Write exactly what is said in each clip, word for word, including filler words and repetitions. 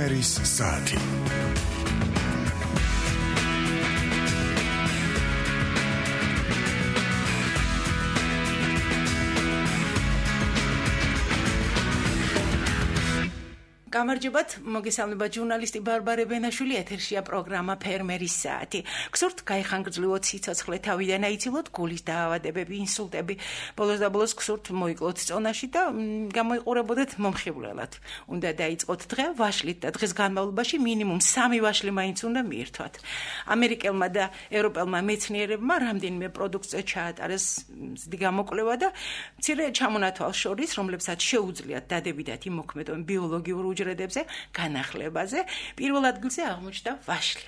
ფერმერის საათი. გამარჯობათ, მოგესალმებათ ჟურნალისტი ბარბარე ბენაშვილი, ეთერშია პროგრამა ფერმერის საათი. გსურთ გაიხანგრძლივოთ სიცოცხლე, თავიდან აიცილოთ გულის დაავადებები, ინსულტები. ბოლოს და ბოლოს გსურთ მოიკლოთ წონაში და გამოიყურებოდეთ მომხიბვლელად. უნდა დაიწყოთ დღე ვაშლით და დღის განმავლობაში მინიმუმ სამი ვაშლი მაინც უნდა მიირთვათ. ამერიკელმა და ევროპელმა მეცნიერებმა რამდენიმე პროდუქტზე ჩაატარეს მზდი გამოკვლევა და მცირე ჩამონათვალს შორის, რომლებსაც შეუძლიათ დადებითად იმოქმედონ ბიოლოგიურ უჯრედებზე განახლებაზე, პირველ ადგილზე აღმოჩნდა ვაშლი.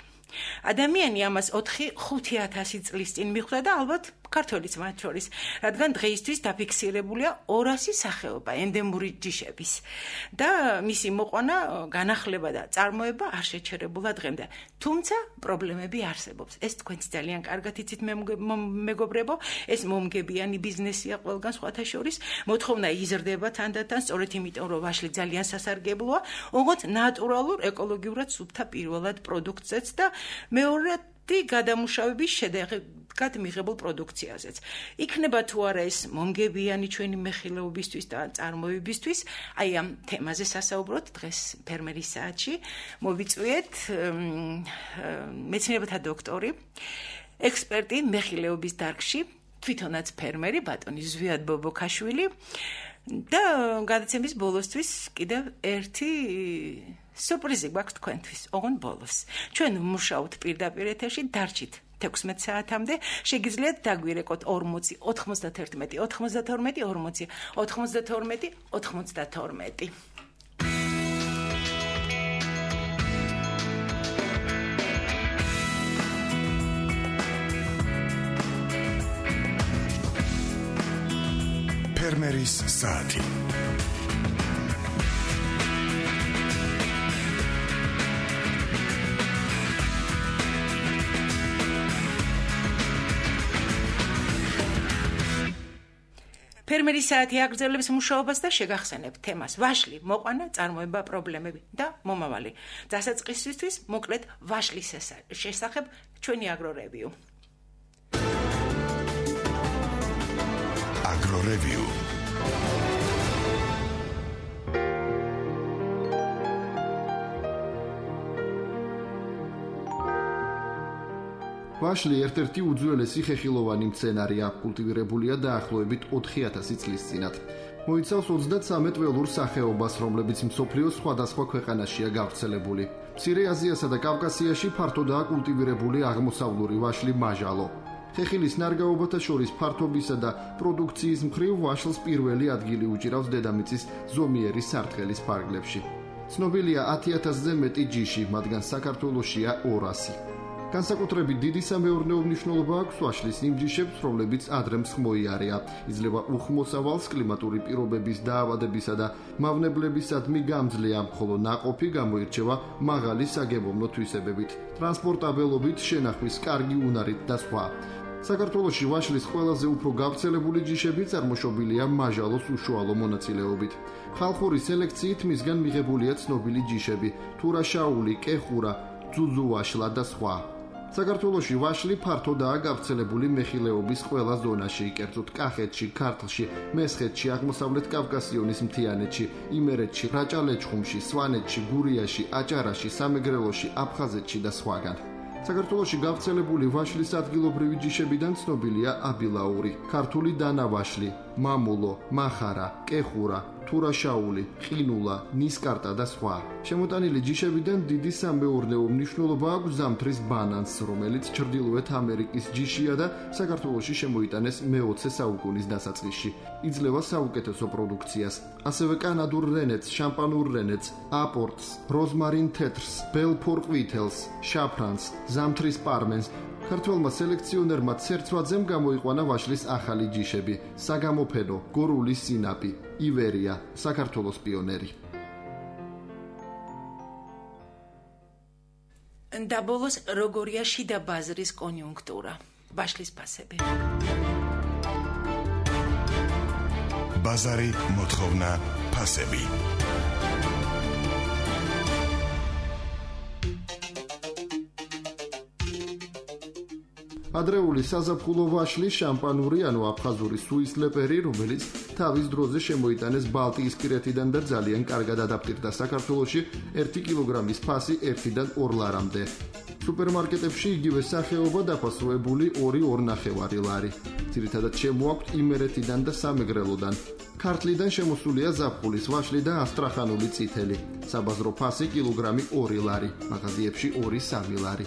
ადამიანი ამას ოთხი ხუთი ათასი წლის წინ მიხვდა და ალბათ ქართველიც მათ შორის, რადგან დღეისთვის დაფიქსირებულია ორასი სახეობა ენდემური ჯიშების და მისი მოყვანა, განახლება და წარმოება არ შეჩერებულა დღემდე. თუმცა პრობლემები არსებობს. ეს თქვენც ძალიან კარგად იცით მეგობრებო, ეს მომგებიანი ბიზნესია ყველგან სხვათა შორის. მოთხოვნა იზრდება თანდათან, სწორედ იმიტომ რომ ვაშლი ძალიან სასარგებლოა, ოღონდ ნატურალურ, ეკოლოგიურად სუფთა პირველად პროდუქტზეც და მეორედ გადამუშავების შედეგად მიღებულ პროდუქციაზეც. იქნება თუ არა ეს მომგებიანი ჩვენი მეხილეობისთვის და წარმოებისთვის, აი ამ თემაზე სასაუბროთ დღეს ფერმერის საათში. მოვიწვიეთ მეცნიერებათა დოქტორი, ექსპერტი მეხილეობის დარგში, თვითონაც ფერმერი, ბატონი ზვიად ბობოქაშვილი და გადაცემის ბოლოსთვის კიდევ ერთი სურპრიზი გვაქვს თქვენთვის, ოღონდ ბოლოს. ჩვენ ვმუშაობთ პირდაპირ ეთერში, დარჩით თექვსმეტ საათამდე, შეგიძლიათ დაგვირეკოთ ორმოცი, ოთხმოცდათერთმეტი, ოთხმოცდათორმეტი, ორმოცი, ოთხმოცდათორმეტი, ოთხმოცდათორმეტი. ფერმერის საათი. ფერმერის საათი აგრძელებს მუშაობას და შეგახსენებთ თემას ვაშლი, მოყვანა, წარმოება, პრობლემები და მომავალი. დასაწყისისთვის მოკლედ ვაშლის შესახებ ჩვენი აგრორევიუ. აგრორევიუ. ვაშლი ერთ-ერთი უძველესი ხეხილოვანი მცენარეა, კულტივირებულია დაახლოებით ოთხი ათასი წლის წინათ. მოიცავს ოცდათრამეტ ველურ სახეობას, რომლებიც მსოფლიოს სხვადასხვა ქვეყანაშია გავრცელებული. მცირე აზიასა და კავკასიაში ფართოდაა კულტივირებული აღმოსავლური ვაშლი მაჟალო. ხეხილის ნარგავობათა შორის ფართობისა და პროდუქციის მხრივ ვაშლს პირველი ადგილი უჭირავს დედამიწის ზომიერი სარტყელის ფარგლებში. ცნობილია ათი ათასზე მეტი ჯიში, მათგან საქართველოშია ორასი. განსაკუთრებით დიდი სამეურნეო მნიშვნელობა აქვს ვაშლის იმ ჯიშებს, რომლებიც ადრე მსხმოიარეა. იძლევა უხმოსავალს კლიმატური პირობების დაავადებისა და მავნებლებისადმი გამძლეა, ხოლო ნაყოფი გამოირჩევა მაღალი საგემოვნო თვისებებით, ტრანსპორტაბელობით, შენახვის კარგი უნარით და სხვა. საქართველოში ვაშლის ყველაზე უფრო გავრცელებული ჯიშები წარმოშობილია მაჟალოს უშუალო მონაწილეობით. ხალხური სელექციით მისგან მიღებულია ცნობილი ჯიშები, თურაშაული, კეხურა, ძუძუვაშლა და სხვა. საქართველოში ვაშლი ფართოდაა გავრცელებული მეხილეობის ყველა ზონაში, კერძოდ კახეთში, ქართლში, მესხეთში, აღმოსავლეთ კავკასიონის მთიანეთში, იმერეთში, რაჭა-ლეჩხუმში, სვანეთში, გურიაში, აჭარაში, სამეგრელოში, აფხაზეთში და სხვაგან. საქართველოში გავრცელებული ვაშლის ადგილობრივი ჯიშებიდან ცნობილია აბილაური, ქართული დანავაშლი, მამულო, მახარა, კეხურა, თურაშაული, ყინულა, ნისკარტა და სხვა. შემოტანილი ჯიშებიდან დიდი სამეურნეო მნიშვნელობა აქვს ზამთრის ბანანს, რომელიც ჩრდილოეთ ამერიკის ჯიშია და საქართველოში შემოიტანეს მეოცე საუკუნის დასაწყისში. იძლევა საუკეთესო პროდუქციას, ასევე კანადურ რენეთს, შამპანურ რენეთს, აპორტს, როზმარინ თეთრს, ბელფორ ყვითელს, შაფრანს, ზამთრის პარმენს. ქართველმა სელექციონერმა ცერცვაძემ გამოიყვანა ვაშლის ახალი ჯიშები, საგამოფენო, გორული სინაპი, ივერია, საქართველოს პიონერი. და ბოლოს როგორია შიდა ბაზრის კონიუნქტურა, ვაშლის ფასები. ბაზარი, მოთხოვნა, ფასები. ადრეული საზაფხულო ვაშლი შამპანური ანუ აფხაზური სუისლეპერი, რომელიც თავის დროზე შემოიტანეს ბალტიისპირეთიდან და ძალიან კარგად ადაპტირდა საქართველოში, ერთი კილოგრამის ფასი ერთიდან ორ ლარამდე. სუპერმარკეტებში იგივე სახეობა დაფასუებული ორი ორნახევარი ლარი. ძირითადად შემოაქვთ იმერეთიდან და სამეგრელოდან. ქართლიდან შემოსულია ზაფხულის ვაშლი და ასტრახანული წითელი. საბაზრო ფასი კილოგრამი ორი ლარი, მაღაზიებში ორი სამი ლარი.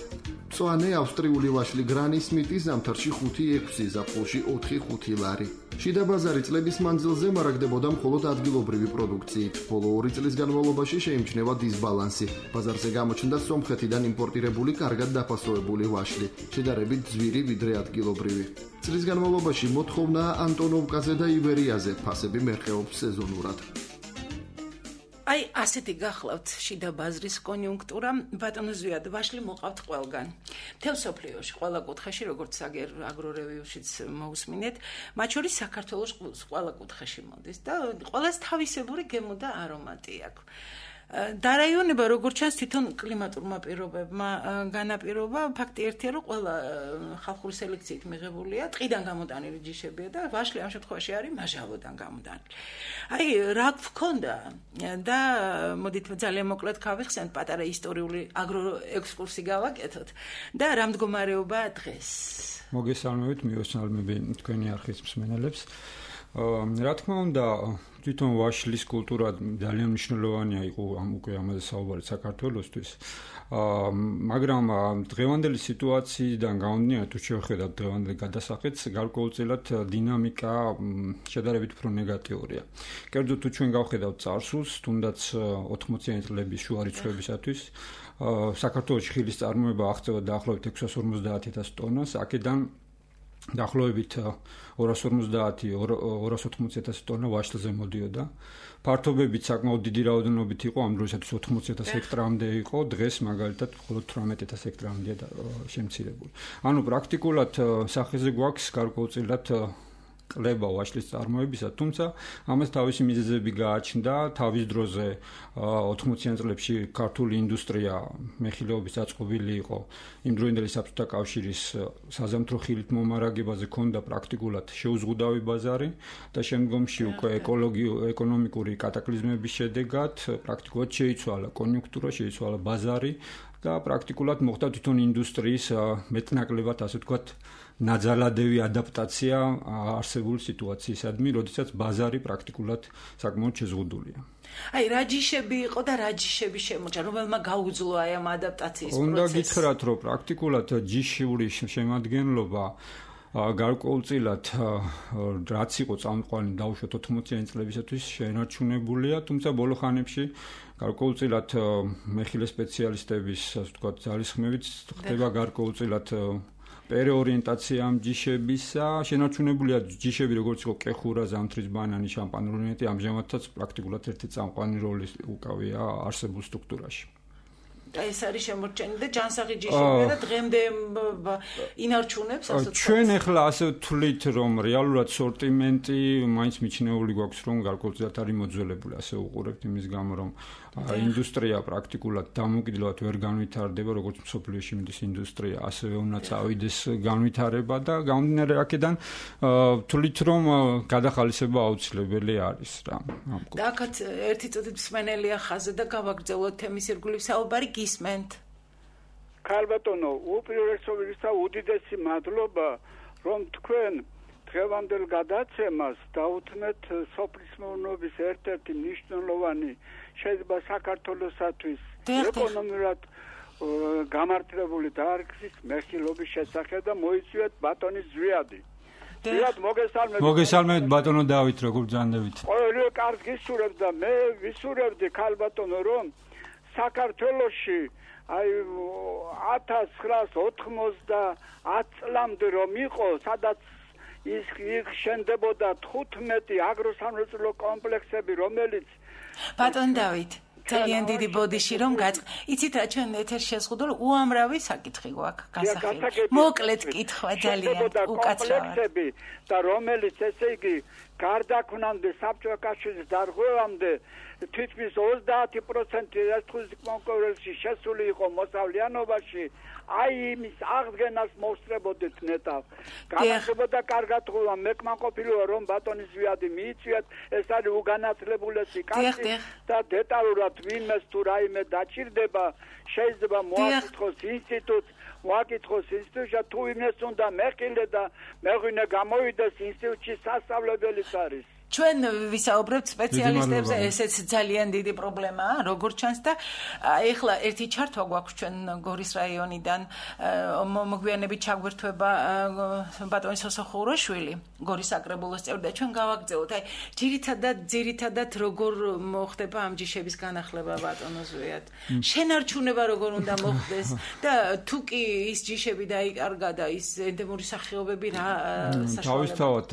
მწვანე ავსტრიული ვაშლი გრანი სმიტი ზამთარში ხუთი ექვსი, ზაფხულში ოთხი ხუთი ლარი. შიდა ბაზარი წლების მანძილზე მარაგდებოდა მხოლოდ ადგილობრივი პროდუქციით. ბოლო ორი წლის განმავლობაში შეიმჩნევა დისბალანსი. ბაზარზე გამოჩნდა სომხეთიდან იმპორტირებული კარგად დაფასოვებული ვაშლი, შედარებით ძვირი ვიდრე ადგილობრივი. წლის განმავლობაში მოთხოვნაა ანტონოვკაზე და ივერიაზე, ფასები მერყეობს სეზონურად. აი, ასეთი გახლავთ შიდა ბაზრის კონიუნქტურა, ბატონო ზვიად, ვაშლი მოყავთ ყველგან. მთელ სოფლიოში, ყველა კუთხეში, როგორც აგერ აგრორევიუშიც მოусმინეთ, მათ შორის საქართველოს ყველა კუთხეში მოდის და ყველას თავისებური გემო და არომატი აქვს. დარაიონება როგორც ჩანს თვითონ კლიმატურმა პირობებმა განაპირობა, ფაქტი ერთია, რომ ყველა ხალხური სელექციით მიღებულია, ტყიდან გამოტანილი ჯიშებია და ვაშლი ამ შემთხვევაში არის მაჟავოდან გამოტანილი. აი, რა გქონდა და მოდით ძალიან მოკლედ გავიხსენთ, პატარა ისტორიული აგროექსკურსი გავაკეთოთ და რა მდგომარეობაა დღეს. მოგესალმებით, მიესალმები თქვენი არხის მსმენელებს. რა თქმა უნდა, თვითონ ვაშლის კულტურა ძალიან მნიშვნელოვანია იყო ამ უკვე ამაზე საუბარი საქართველოსთვის. მაგრამ დღევანდელი სიტუაციიდან გამომდინარე, თუ შევხედავთ დღევანდელ გადასახედს, გარკვეულწილად დინამიკა შედარებით უფრო ნეგატიურია. კერძოდ თუ ჩვენ გავხედავთ წარსულს, თუნდაც ოთხმოციანი წლების შუა რიცხვებისათვის, საქართველოში ხილის წარმოება აღწევა დაახლოებით ექვსას ორმოცდაათ ათას ტონას, აქედან დაახლოებით ორას ორმოცდაათი ორას ოთხმოცი ათასი ტონა ვაშლზე მოდიოდა. ფართობებით საკმაოდ დიდი რაოდენობით იყო, ამ დროისათვის ოთხმოცი ათას ჰექტრამდე იყო, დღეს მაგალითად მხოლოდ თვრამეტი ათას ჰექტრამდეა შემცირებული. ანუ პრაქტიკულად სახეზე გვაქვს გარკვეულწილად ყლება ვაშლის წარმოებისა, თუმცა ამას თავისი მიზეზები გააჩნდა. თავის დროზე ოთხმოციან წლებში ქართული ინდუსტრია მეხილეობის დაწყობილი იყო. იმ დროინდელი საბჭოთა კავშირის საზამთრო ხილით მომარაგებაზე ჰქონდა პრაქტიკულად შეუზღუდავი ბაზარი და შემდგომში უკვე ეკონომიკური კატაკლიზმების შედეგად პრაქტიკულად შეიცვალა კონიუნქტურა, შეიცვალა ბაზარი და პრაქტიკულად მოხდა თვითონ ინდუსტრიის მეტნაკლებად, ასე ვთქვათ, ნაძალადევი ადაპტაცია არსებული სიტუაციისადმი, როდესაც ბაზარი პრაქტიკულად საკმაოდ შეზღუდულია. აი, რა ჯიშები იყო და რა ჯიშები შემოჭრა, რომელმა გაუძლო აი ამ ადაპტაციის პროცესს? უნდა გითხრათ, რომ პრაქტიკულად ჯიშური შემადგენლობა გარკვეულწილად რაც იყო წამყვანი დაუშვათ ოთხმოციანი წლებისათვის შენარჩუნებულია, თუმცა ბოლო ხანებში გარკვეულწილად მეხილე სპეციალისტების, ასე ვთქვათ, ძალისხმევით ხდება გარკვეულწილად პერეორიენტაცია ამ ჯიშებისა, შენარჩუნებულია ჯიშები, როგორც იყო კეხურა, ზამთრის ბანანი, შამპანური ნეტი, ამჟამადაც პრაქტიკულად ერთი წამყვანი როლი უკავია არსებულ სტრუქტურაში. და ეს არის შემორჩენილი და ჯანსაღი ჯიშებია და დღემდე ინარჩუნებს, ასე ვთქვათ. ჩვენ ახლა ასე ვთვლით, რომ რეალურად სორტიმენტი მაინც მიჩნეული გვაქვს, რომ გარკვეულწილად არის მოძველებული, ასე უყურებთ იმის გამო, რომ ინდუსტრია პრაქტიკულად დამოუკიდებლად ვერ განვითარდება, როგორც მსოფლიოში მიდის ინდუსტრია, ასევე უნდა წავიდეს განვითარება და გამომდინარე აქედან ვთვლით, რომ გადახალისება აუცილებელი არის რა. და აქაც ერთი წუთით მსმენელია ხაზზე და გავაგრძელოთ თემის ირგვლივ საუბარი, გისმენთ. ქალბატონო, უპირველესობისა უდიდესი მადლობა, რომ თქვენ დღევანდელ გადაცემას დაუთმეთ სოფლის მეურნეობის ერთ-ერთი მნიშვნელოვანი შეიძლება საქართველოსათვის ეკონომიურად გამართლებული დარგის მეხილობის შესახებ და მოიწვიეთ ბატონი ზვიადი. ზვიად მოგესალმებით. მოგესალმებით ბატონო დავით, როგორ ბრძანდებით? ყოველივე კარგ გისურვებთ და მე ვისურვებდი ქალბატონო, რომ საქართველოში აი ათას ცხრაას ოთხმოცდაათ წლამდე რომ იყო, სადაც ის შენდებოდა თხუთმეტი აგროსამრეწველო კომპლექსები, რომელიც ბატონ დავით, ძალიან დიდი ბოდიში რომ გაწყ. იცით რა, ჩვენ ეთერში შეზღუდულ უამრავი საკითხი გვაქვს გასახელებული. მოკლედ კითხვა ძალიან უკაცრავად. და რომელიც ესე იგი გარდაქმნამდე საბჭოთა კავშირის დარღვევამდე თითქმის ოცდაათი პროცენტი რესპუბლიკის კონკურსში შესული იყო მოსავლიანობაში, აი იმის აღდგენას მოსწრებოდეთ ნეტავ. გამარჯობა კარგად ღვივა, მეკმაყოფილოა რომ ბატონის ვიადი მიიწვიათ, ეს არის უგანათლებულესი კაცი და დეტალურად ვინმეს თუ რაიმე დაჭირდება, შეიძლება მოაკითხოს ინსტიტუტს, მოაკითხოს ინსტიტუტში თუ ვინმეს უნდა მეხილე და მეღვინე გამოვიდეს ინსტიტუტში სასწავლებელიც არის. ჩვენ ვისაუბრებთ სპეციალისტებზე, ესეც ძალიან დიდი პრობლემაა, როგორც ჩანს და ეხლა ერთი ჩართვა გვაქვს ჩვენ გორის რაიონიდან, მოგვიანებით ჩაგვერთვება ბატონი სოსო ხუროშვილი, გორის საკრებულოს წევრი და ჩვენ გავაგზავნოთ. აი, ძირითადად, ძირითადად როგორ მოხდება ამ ჯიშების განახლება ბატონო ზვიად? შენარჩუნება როგორ უნდა მოხდეს და თუ კი ის ჯიშები დაიკარგა და ის ენდემური სახეობები რა საშუალება? თავისთავად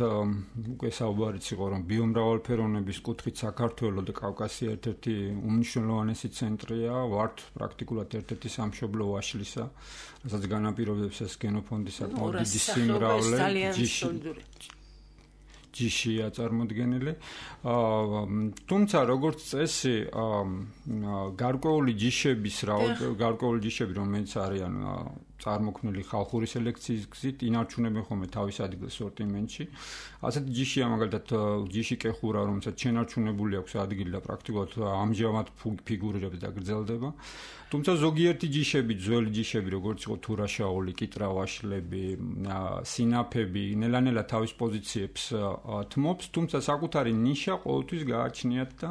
უკვე საუბარიც იყო რომ ბიომრავალფეროვნების კუთხით საქართველოს და კავკასია ერთ-ერთი უმნიშვნელოვანესი ცენტრია, ვართ პრაქტიკულად ერთ-ერთი სამშობლო ვაშლისა, რასაც განაპირობებს ეს გენოფონდის საკმაოდ დიდი სიმრავლე, ჯიშია წარმოდგენილი. თუმცა როგორც წესი, გარკვეული ჯიშების რაოდენობა, გარკვეული ჯიშები, რომელიც არიან წარმოქმნილი ხალხური სელექციის გზით, ინარჩუნებენ ხოლმე თავის ადგილს სორტიმენტში. ასეთი ჯიშია მაგალითად ჯიში კეხურა, რომელსაც შენარჩუნებული აქვს ადგილი და პრაქტიკულად ამჟამად ფიგურირებს და გრძელდება. თუმცა ზოგიერთი ჯიშები, ძველი ჯიშები, როგორც იყო თურაშაული, კიტრა-ვაშლები, სინაფები, ნელა-ნელა თავის პოზიციებს თმობს, თუმცა საკუთარი ნიშა ყოველთვის გააჩნიათ და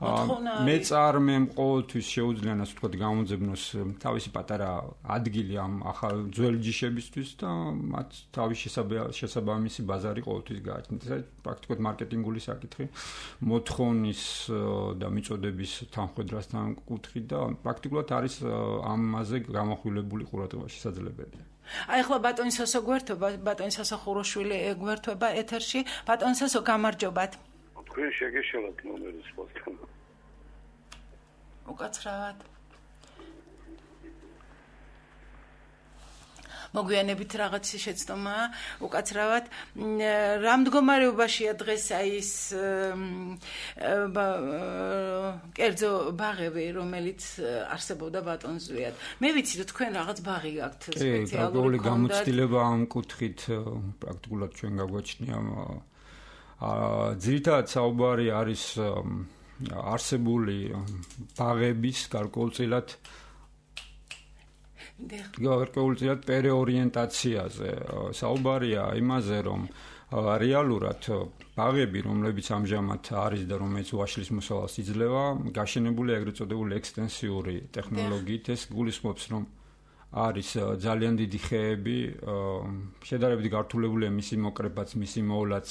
მეწარმემ ყოველთვის შეუძლია ასე ვთქვათ გამოძებნოს თავისი პატარა ადგილი ამ ახალ ძველი ჯიშებისთვის და მათ თავის შესაბამისი ბაზარი ყოველთვის გააჩნიათ. ეს პრაქტიკულად მარკეტინგული საკითხი, მოთხოვნის და მიწოდების თანხმედრასთან კუთხით და პრაქტიკულად არის ამაზე გამოხვილებული ყურადღება შესაძლებელია. აი ახლა ბატონი სოსო გვერდება, ბატონი სოსო ხუროშვილი გვერდება ეთერში. ბატონი სოსო გამარჯობათ. თქვენ შეგეშალათ ნომერის პოსტთან. უკაცრავად. მოგვიანებით რაღაც შეცდომაა, უკაცრავად. რა მდგომარეობაშია დღეს აი ეს კერძო ბაღები, რომელიც არსებობდა ბატონ ზვიად. მე ვიცი რომ თქვენ რაღაც ბაღი გაქვთ სპეციალური გამოცდილება ამ კუთხით პრაქტიკულად ჩვენ გაგვაჩნია. ძირითადად საუბარი არის არსებული ბაღების გარკვეულწილად გარკვეულწილად პერეორიენტაციაზე. საუბარია იმაზე, რომ რეალურად ბაღები, რომლებიც ამჟამად არის და რომელიც ვაშლის მოსავალს იძლევა, გაშენებულია ეგრეთ წოდებული ექსტენსიური ტექნოლოგიით. ეს გულისხმობს, რომ არის ძალიან დიდი ხეები, შედარებით გართულებულია მისი მოკრებაც, მისი მოვლაც,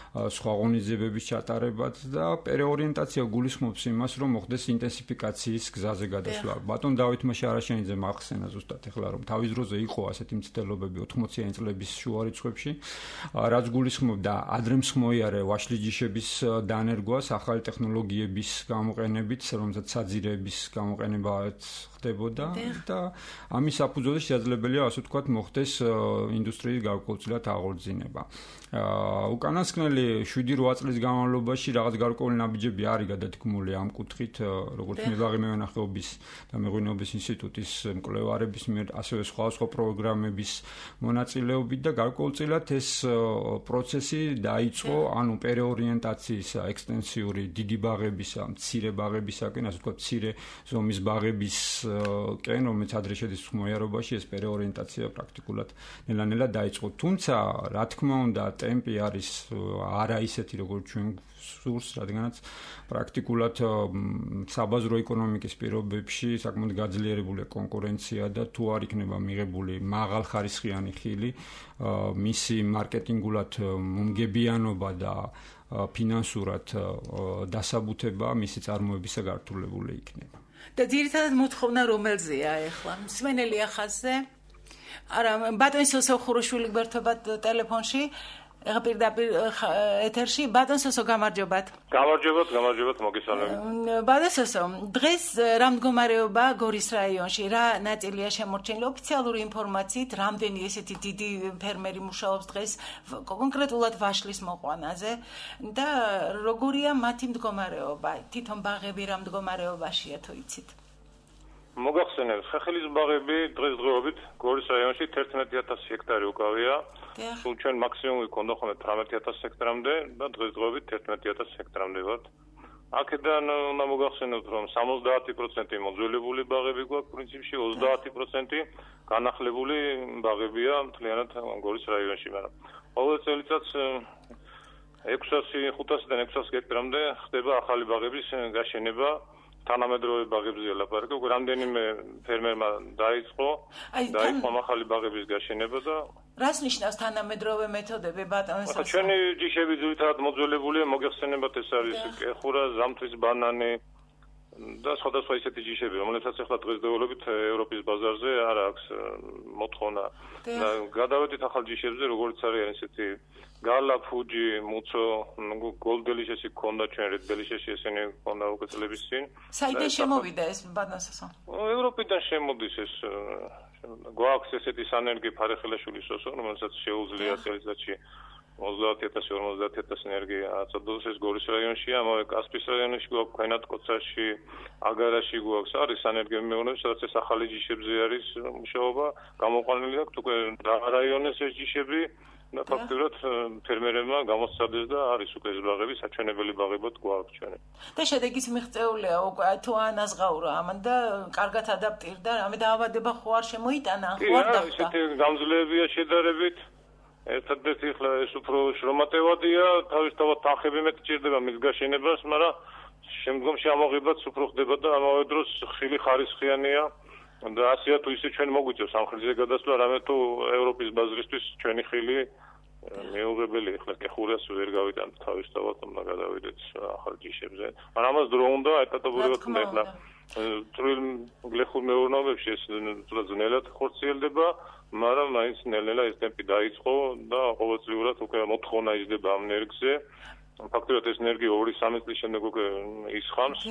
სხვა ღონისძიებების ჩატარებაც და პერეორიენტაცია გულისხმობს იმას, რომ მოხდეს ინტენსიფიკაციის გზაზე გადასვლა. ბატონ დავით მაშარაშენიძემ ახსენა ზუსტად ეხლა, რომ თავის დროზე იყო ასეთი მცდელობები ოთხმოციანი წლების შუა რიცხვებში, რაც გულისხმობდა ადრემსხმოიარე ვაშლის ჯიშების დანერგვას ახალი ტექნოლოგიების გამოყენებით, რომელსაც საძირეების გამოყენებაც ხდებოდა და ამის საფუძველზე შესაძლებელია ასე ვთქვათ მოხდეს ინდუსტრიის გარკვეულწილად აღორძინება. უკანასკნელი შვიდი რვა წლის განმავლობაში რაღაც გარკვეული ნაბიჯები არის გადათქმული ამ კუთხით, როგორც მებაღე მევენახეობის და მეღვინეობის ინსტიტუტის მკვლევარების მიერ, ასევე სხვა სხვა პროგრამების მონაწილეობით და გარკვეულწილად ეს პროცესი დაიწყო, ანუ პერეორიენტაციის ექსტენსიური დიდი ბაღებისა, მცირე ბაღებისაკენ, ასე ვთქვათ, მცირე ზომის ბაღების კენ, რომელიც ადრე შედის ხმოიარობაში, ეს პერეორიენტაცია პრაქტიკულად ნელა-ნელა დაიწყო. თუმცა, რა თქმა უნდა, ტემპი არის არა ისეთი, როგორც ჩვენ სურს, რადგანაც პრაქტიკულად საბაზრო ეკონომიკის პირობებში საკმაოდ გაძლიერებულია კონკურენცია და თუ არ იქნება მიღებული მაღალხარისხიანი ხილი, მისი მარკეტინგულად მომგებიანობა და ფინანსურად დასაბუთება მისი წარმოებისა გართულებული იქნება. და ძირითადად მოთხოვნა რომელზეა ახლა? მსმენელი ახაზზე? არა, ბატონი სოსო ხუროშვილი გვერდება ტელეფონში. ეხა პირდაპირ ეთერში ბატონ სოსო გამარჯობათ. გამარჯობათ, გამარჯობათ, მოგესალმებით. ბატონ სოსო, დღეს რა მდგომარეობა გორის რაიონში, რა ნაწილია შემორჩენილი ოფიციალური ინფორმაციით, რამდენი ესეთი დიდი ფერმერი მუშაობს დღეს კონკრეტულად ვაშლის მოყვანაზე და როგორია მათი მდგომარეობა? თვითონ ბაღები რა მდგომარეობაშია თუ იცით? მოგახსენებთ, ხეხილის ბაღები დღესდღეობით გორის რაიონში თერთმეტი ათასი ჰექტარი უკავია. სულ ჩვენ მაქსიმუმი გქონდა ხოლმე თვრამეტი ათასი ჰექტარამდე და დღესდღეობით თერთმეტი ათასი ჰექტარამდე ვართ. აქედან უნდა მოგახსენებთ, რომ სამოცდაათი პროცენტი მოძველებული ბაღები გვაქვს, პრინციპში ოცდაათი პროცენტი განახლებული ბაღებია მთლიანად გორის რაიონში, მაგრამ ყოველ წელიწადს ექვსასი ხუთასიდან ექვსასი ჰექტარამდე ხდება ახალი ბაღების გაშენება. თანამედროვე ბაღებზე ლაპარაკი, უკვე რამდენიმე ფერმერმა დაიწყო, დაიწყო ახალი ბაღების გაშენება და რას ნიშნავს თანამედროვე მეთოდები ბატონ სოსო? ჩვენი ჯიშები ძირითადად მოძველებულია, მოგეხსენებათ ეს არის კეხურა, ზამთრის ბანანი და სხვადასხვა ისეთი ჯიშები, რომლებსაც ახლა დღესდღეობით ევროპის ბაზარზე არ აქვს მოთხოვნა. გადავედით ახალ ჯიშებზე, როგორც არის ესეთი გალა, ფუჯი, მუცო, გოლდელიშესი გქონდა ჩვენ რედელიშესი ესენი გქონდა უკვე წლების წინ. საიდან შემოვიდა ეს ბატონ სოსო? ევროპიდან შემოდის ეს გვაქვს ესეთი სანერგი ფარეხელაშვილის სოსო, რომელსაც შეუძლია წელიწადში ოცდაათი ათასი ორმოცდაათი ათასი ენერგია აწოდოს ეს გორის რაიონშია, ამავე კასპიის რაიონში გვაქვს, ქვენათ კოცაში, აგარაში გვაქვს, არის სანერგები მეურნეობის, სადაც ეს ახალი ჯიშებზე არის მუშაობა, გამოყვანილი აქვს უკვე რაიონის ეს ჯიშები. და ფაქტობრივად ფერმერებმა გამოსცადეს და არის უკვე ეს ბაღები საჩვენებელი ბაღებად გვაქვს ჩვენ. და შედეგიც მიღწეულია უკვე თუ ანაზღაურა ამან და კარგად ადაპტირდა, რამე დაავადება ხო არ შემოიტანა, ხო არ დახვდა. ისეთი გამძლეებია შედარებით. ერთადერთი ხლა ეს უფრო შრომატევადია, თავისთავად თანხები მეტი ჭირდება მის გაშენებას, მაგრამ შემდგომში ამოღებაც უფრო ხდება და ამავე დროს ხილი ხარისხიანია. და ასეა თუ ისე ჩვენ მოგვიწევს სამხრეთზე გადასვლა, რამე თუ ევროპის ბაზრისთვის ჩვენი ხილი მეუღებელი ახლა კეხურას ვერ გავიტანთ თავისთავად, უნდა გადავიდეთ ახალ ჯიშებზე. მაგრამ ამას დრო უნდა ეტაპობრივად უნდა ახლა წვრილ გლეხურ მეურნეობებში ეს ძნელად ხორციელდება, მაგრამ მაინც ნელ-ნელა ეს ტემპი დაიწყო და ყოველწლიურად უკვე მოთხოვნა იზრდება ამ ენერგიაზე. ფაქტობრივად ეს ენერგია ორი სამი წლის შემდეგ უკვე ისხამს.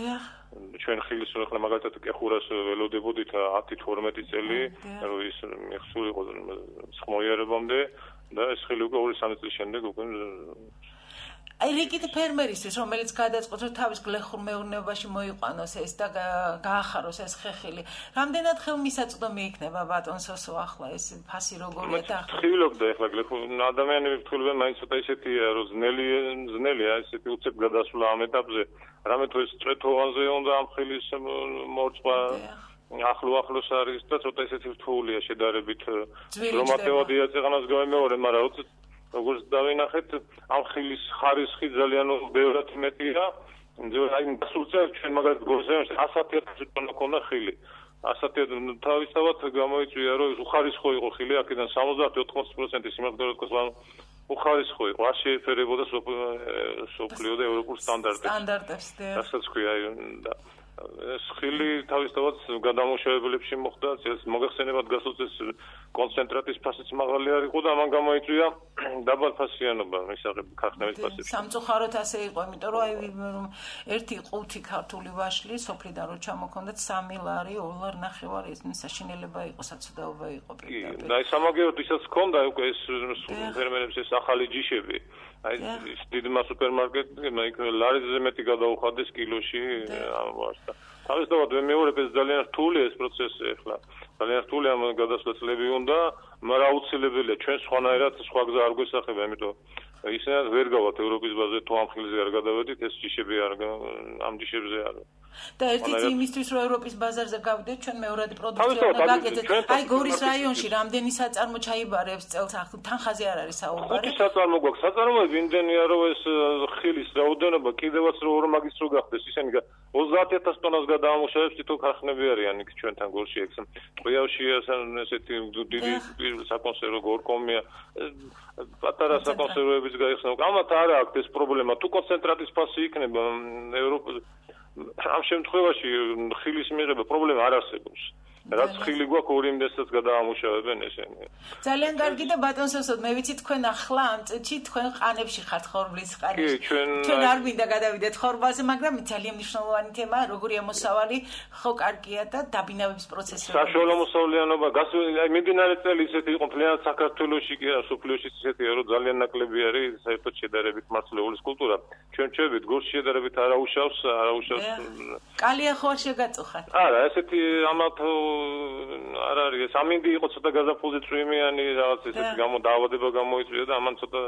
ჩვენ ხილის ახლა მაგალითად კეხურას ველოდებოდით ათი თორმეტი წელი, რომ ის მიხსულიყო სხმოიარებამდე და ეს ხილი უკვე ორი სამი წლის შემდეგ უკვე აი რიგით ფერმერისთვის, რომელიც გადაწყობს, რომ თავის გლეხურ მეურნეობაში მოიყვანოს ეს და გაახაროს ეს ხეხილი. რამდენად ხელმისაწვდომი იქნება ბატონ სოსო ახლა ეს ფასი როგორია და ახლა? ხილობდა ახლა გლეხურ ადამიანები ფრთხილობენ მაინც ცოტა ისეთია, რომ ძნელი ძნელია ესეთი უცებ გადასვლა ამ ეტაპზე. რამე თუ ეს წვეთოვანზე უნდა ამ ხილის მორწვა ახლო ახლოს არის და ცოტა ისეთი რთულია შედარებით. რომატევადი აწეღანას გამეორე, მაგრამ როგორც დავინახეთ, ამ ხილის ხარისხი ძალიან ბევრად მეტია. აი, სულ წელს ჩვენ მაგალითად გორზეონში ასეთი ათასი ტონა ქონდა ხილი. ასეთი თავისთავად გამოიწვია, რომ უხარისხო იყო ხილი, აქედან სამოცდაათი ოთხმოცი პროცენტი სიმაღლე რკოს უხარისხო იყო, არ შეეფერებოდა სოფლიო და ევროპულ სტანდარტებს. სტანდარტებს, და რასაც ქვია და ეს ხილი თავისთავად გადამუშავებლებში მოხდა, ეს მოგეხსენებათ გასულ წელს კონცენტრატის ფასიც მაღალი არ იყო და ამან გამოიწვია დაბალფასიანობა მისაღებ ქარხნების ფასებში. სამწუხაროდ ასე იყო, იმიტომ რომ აი ერთი ყუთი ქართული ვაშლი სოფლიდან რო ჩამოქონდათ სამი ლარი, ორი ლარი ნახევარი, ეს საშინელება იყო, საცოდაობა იყო პირდაპირ. და აი სამაგეროდ ისაც ქონდა უკვე ეს ფერმერებს ეს ახალი ჯიშები. აი ის დიდმა სუპერმარკეტებმა იქ ლარიზე მეტი გადაუხადეს კილოში ამას. თავისთავად მეორე ეს ძალიან რთულია ეს პროცესი ახლა. ძალიან რთულია ამ გადასვლები უნდა, მაგრამ აუცილებელია ჩვენ სხვანაირად სხვა გზა არ გვესახება, იმიტომ ისინი ვერ გავათ ევროპის ბაზაზე თუ ამ ხილზე არ გადავედით, ეს ჯიშები არ ამ ჯიშებზე არ. და ერთიც იმისთვის რომ ევროპის ბაზარზე გავიდეთ, ჩვენ მეორადი პროდუქცია უნდა გაკეთეთ. აი გორის რაიონში რამდენი საწარმო ჩაიბარებს წელს თანხაზე არ არის საუბარი. ხუთი საწარმო გვაქვს. საწარმოები იმდენია რომ ეს ხილის რაოდენობა კიდევაც რო ორ მაგის რო გახდეს, ისინი ოცდაათი ათასი ტონას გადაამუშავებს თითო ქარხნები არიან იქ ჩვენთან გორში ეგ. ყიავში ესეთი დიდი საკონსერვო გორკომია, პატარა საკონსერვოებიც გაიხსნა. ამათ არა აქვს ეს პრობლემა. თუ კონცენტრატის ფასი იქნება ევროპაზე ამ შემთხვევაში ხილის მიღება პრობლემა არ არსებობს. რაც ხილი გვაქვს ორი იმდესაც გადაამუშავებენ ესენი. ძალიან კარგი და ბატონ სოსოდ მე ვიცი თქვენ ახლა ამ წუთში თქვენ ყანებში ხართ ხორბლის ყანებში. კი, ჩვენ ჩვენ არ მინდა გადავიდეთ ხორბალზე, მაგრამ ძალიან მნიშვნელოვანი თემაა, როგორი მოსავალი ხო კარგია და დაბინავების პროცესი. საშუალო მოსავლიანობა, აი მიმდინარე წელი ისეთი იყო მთლიანად საქართველოში კი არა, სოფლიოში ისეთია, რომ ძალიან ნაკლები არის საერთოდ შედარებით მარცვლეულის კულტურა. ჩვენ ჩვევით გულში შედარებით არაუშავს, არაუშავს. კალია ხო არ შეგაწუხათ? არა, ესეთი ამათ არ არის, ეს ამინდი იყო ცოტა გაზაფხულზე წვიმიანი რაღაც ესეთი გამო დაავადება გამოიწვია და ამან ცოტა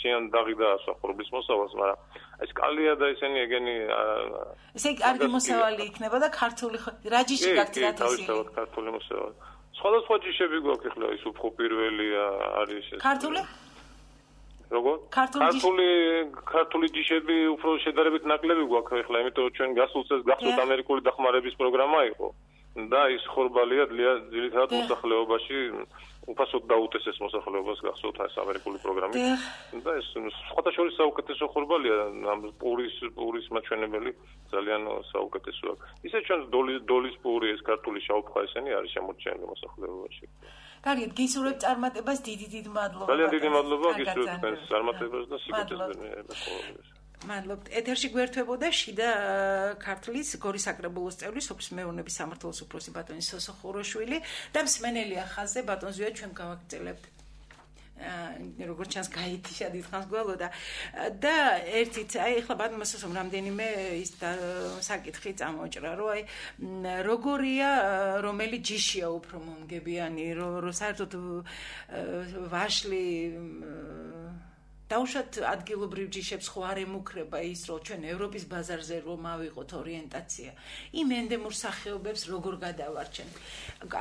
შეიან დაღი დაასვა ხორბლის მოსავალს, მაგრამ ეს კალია და ისინი ეგენი ესე კარგი მოსავალი იქნება და ქართული რა ჯიში გაქვთ დათესი? თავისთავად ქართული მოსავალი. სხვადასხვა ჯიშები გვაქვს ახლა ის უფრო პირველი არის ეს. ქართული? როგორ? ქართული ქართული ჯიშები უფრო შედარებით ნაკლები გვაქვს ახლა, იმიტომ რომ ჩვენ გასულ წელს გახსოვთ ამერიკული დახმარების პროგრამა იყო და ის ხორბალია ძირითადად მოსახლეობაში უფასოდ დაუტესეს მოსახლეობას გახსოვთ ეს ამერიკული პროგრამით და ეს სხვათა შორის საუკეთესო ხორბალია ამ პურის პურის მაჩვენებელი ძალიან საუკეთესო აქვს. ისე ჩვენ დოლის დოლის პური ეს ქართული შავფხა ესენი არის შემორჩენილი მოსახლეობაში. კარგით, გისურვებთ წარმატებას, დიდი დიდი მადლობა. ძალიან დიდი მადლობა გისურვებთ თქვენს წარმატებას და სიკეთეს ბენებას. მადლობთ. ეთერში გვერდებოდა შიდა ქართლის გორის საკრებულოს წევრი, სოფლის მეურნეობის სამმართველოს უფროსი ბატონი სოსო ხუროშვილი და მსმენელი ახალზე ბატონ ზვია ჩვენ გავაგრძელებთ. როგორც ჩანს გაითიშა დიდხანს გველოდა და ერთით აი ახლა ბატონმა სოსომ რამდენიმე ის საკითხი წამოჭრა რომ აი როგორია რომელი ჯიშია უფრო მომგებიანი რომ საერთოდ ვაშლი დაუშვათ ადგილობრივ ჯიშებს ხო არ ემუქრება ის რომ ჩვენ ევროპის ბაზარზე რომ ავიღოთ ორიენტაცია იმ ენდემურ სახეობებს როგორ გადავარჩენთ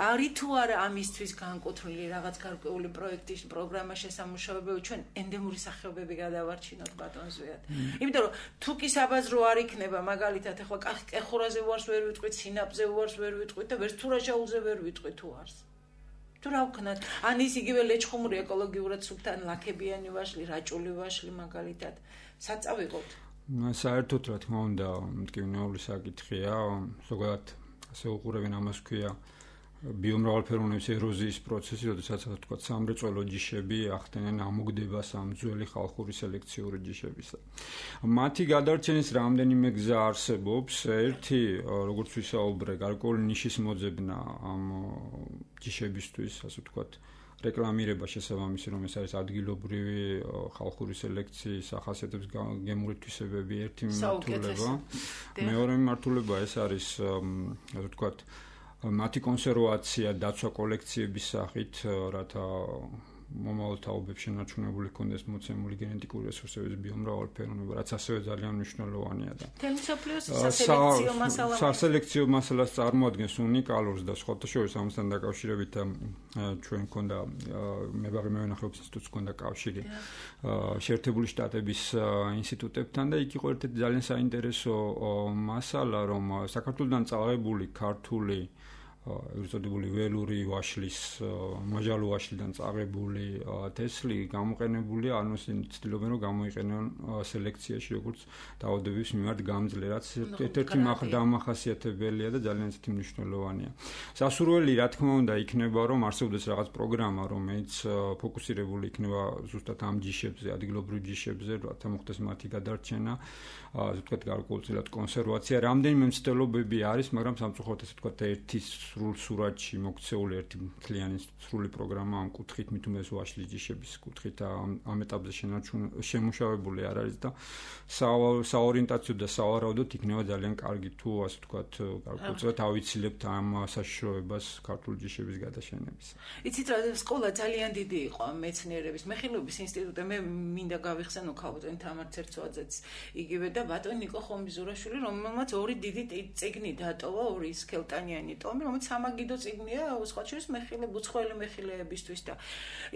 არის თუ არა ამისთვის განკუთვნილი რაღაც გარკვეული პროექტის პროგრამა შესამუშავებელი ჩვენ ენდემური სახეობები გადავარჩინოთ ბატონ ზვიად იმიტომ რომ თუ კი საბაზრო არ იქნება მაგალითად ახლა კეხურაზე უარს ვერ ვიტყვით სინაპზე უარს ვერ ვიტყვით და ვერც თურაშაულზე ვერ ვიტყვით უარს თუ რა ვქნათ ან ის იგივე ლეჩხუმური ეკოლოგიურად სუფთან ლაქებიანი ვაშლი, რაჭული ვაშლი მაგალითად საწავიღოთ. საერთოდ რა თქმა უნდა, მტკივნეული საკითხია, ზოგადად ასე უყურებენ ამას ქვია ბიომრავალფეროვნების ეროზიის პროცესი, როდესაც ასე ვთქვათ, სამრეწველო ჯიშები ახდენენ ამოგდებას ამ ძველი ხალხური სელექციური ჯიშებისა. მათი გადარჩენის რამდენიმე გზა არსებობს. ერთი, როგორც ვისაუბრე, გარკვეული ნიშის მოძებნა ამ ჯიშებისთვის, ასე ვთქვათ, რეკლამირება შესაბამისი, რომ ეს არის ადგილობრივი ხალხური სელექციის ახასიათებს გემური თვისებები, ერთი მიმართულება. მეორე მიმართულება ეს არის, ასე ვთქვათ, მათი კონსერვაცია დაცვა კოლექციების სახით, რათა მომავალ თაობებში შენარჩუნებული ქონდეს მოცემული გენეტიკური რესურსების ბიომრავალფეროვნება, რაც ასევე ძალიან მნიშვნელოვანია და სასელექციო მასალა სასელექციო მასალას წარმოადგენს უნიკალურს და სხვათა შორის ამასთან დაკავშირებით ჩვენ მქონდა მებაღე მევენახეობის ინსტიტუტს მქონდა კავშირი შეერთებული შტატების ინსტიტუტებთან და იქ იყო ერთ-ერთი ძალიან საინტერესო მასალა, რომ საქართველოსთან წაღებული ქართული ეზოდებული ველური ვაშლის მაჟალო ვაშლიდან წაღებული თესლი გამოყენებული ანუ ცდილობენ რომ გამოიყენონ სელექციაში როგორც დაავადებების მიმართ გამძლე რაც ერთ-ერთი დამახასიათებელია და ძალიან ისეთი მნიშვნელოვანია. სასურველი რა თქმა უნდა იქნება რომ არსებობს რაღაც პროგრამა რომელიც ფოკუსირებული იქნება ზუსტად ამ ჯიშებზე, ადგილობრივ ჯიშებზე, რათა მოხდეს მათი გადარჩენა, ასე ვთქვათ, გარკვეულწილად კონსერვაცია. რამდენიმე მცდელობები არის, მაგრამ სამწუხაროდ ასე ვთქვათ, ერთი სრულ სურათში მოქცეული ერთი მთლიანი სრული პროგრამა ამ კუთხით მით უმეტეს ვაშლის ჯიშების კუთხით ამ ეტაპზე შემუშავებული არ არის და საორიენტაციო და სავარაუდოდ იქნება ძალიან კარგი თუ ასე ვთქვათ, გარკვეულწილად ავიცილებთ ამ საშიშროებას ქართული ჯიშების გადაშენების. იცით რა, სკოლა ძალიან დიდი იყო ამ მეცნიერების მეხილობის ინსტიტუტი, მე მინდა გავიხსენო ქალბატონი თამარ ცერცვაძეც იგივე და ბატონი ნიკო ხომბიზურაშვილი, რომელმაც ორი დიდი წიგნი დატოვა, ორი სქელტანიანი ტომი, რომელიც სამაგიდო წიგნია, სხვა შორის მეხილე, უცხოელი მეხილეებისთვის და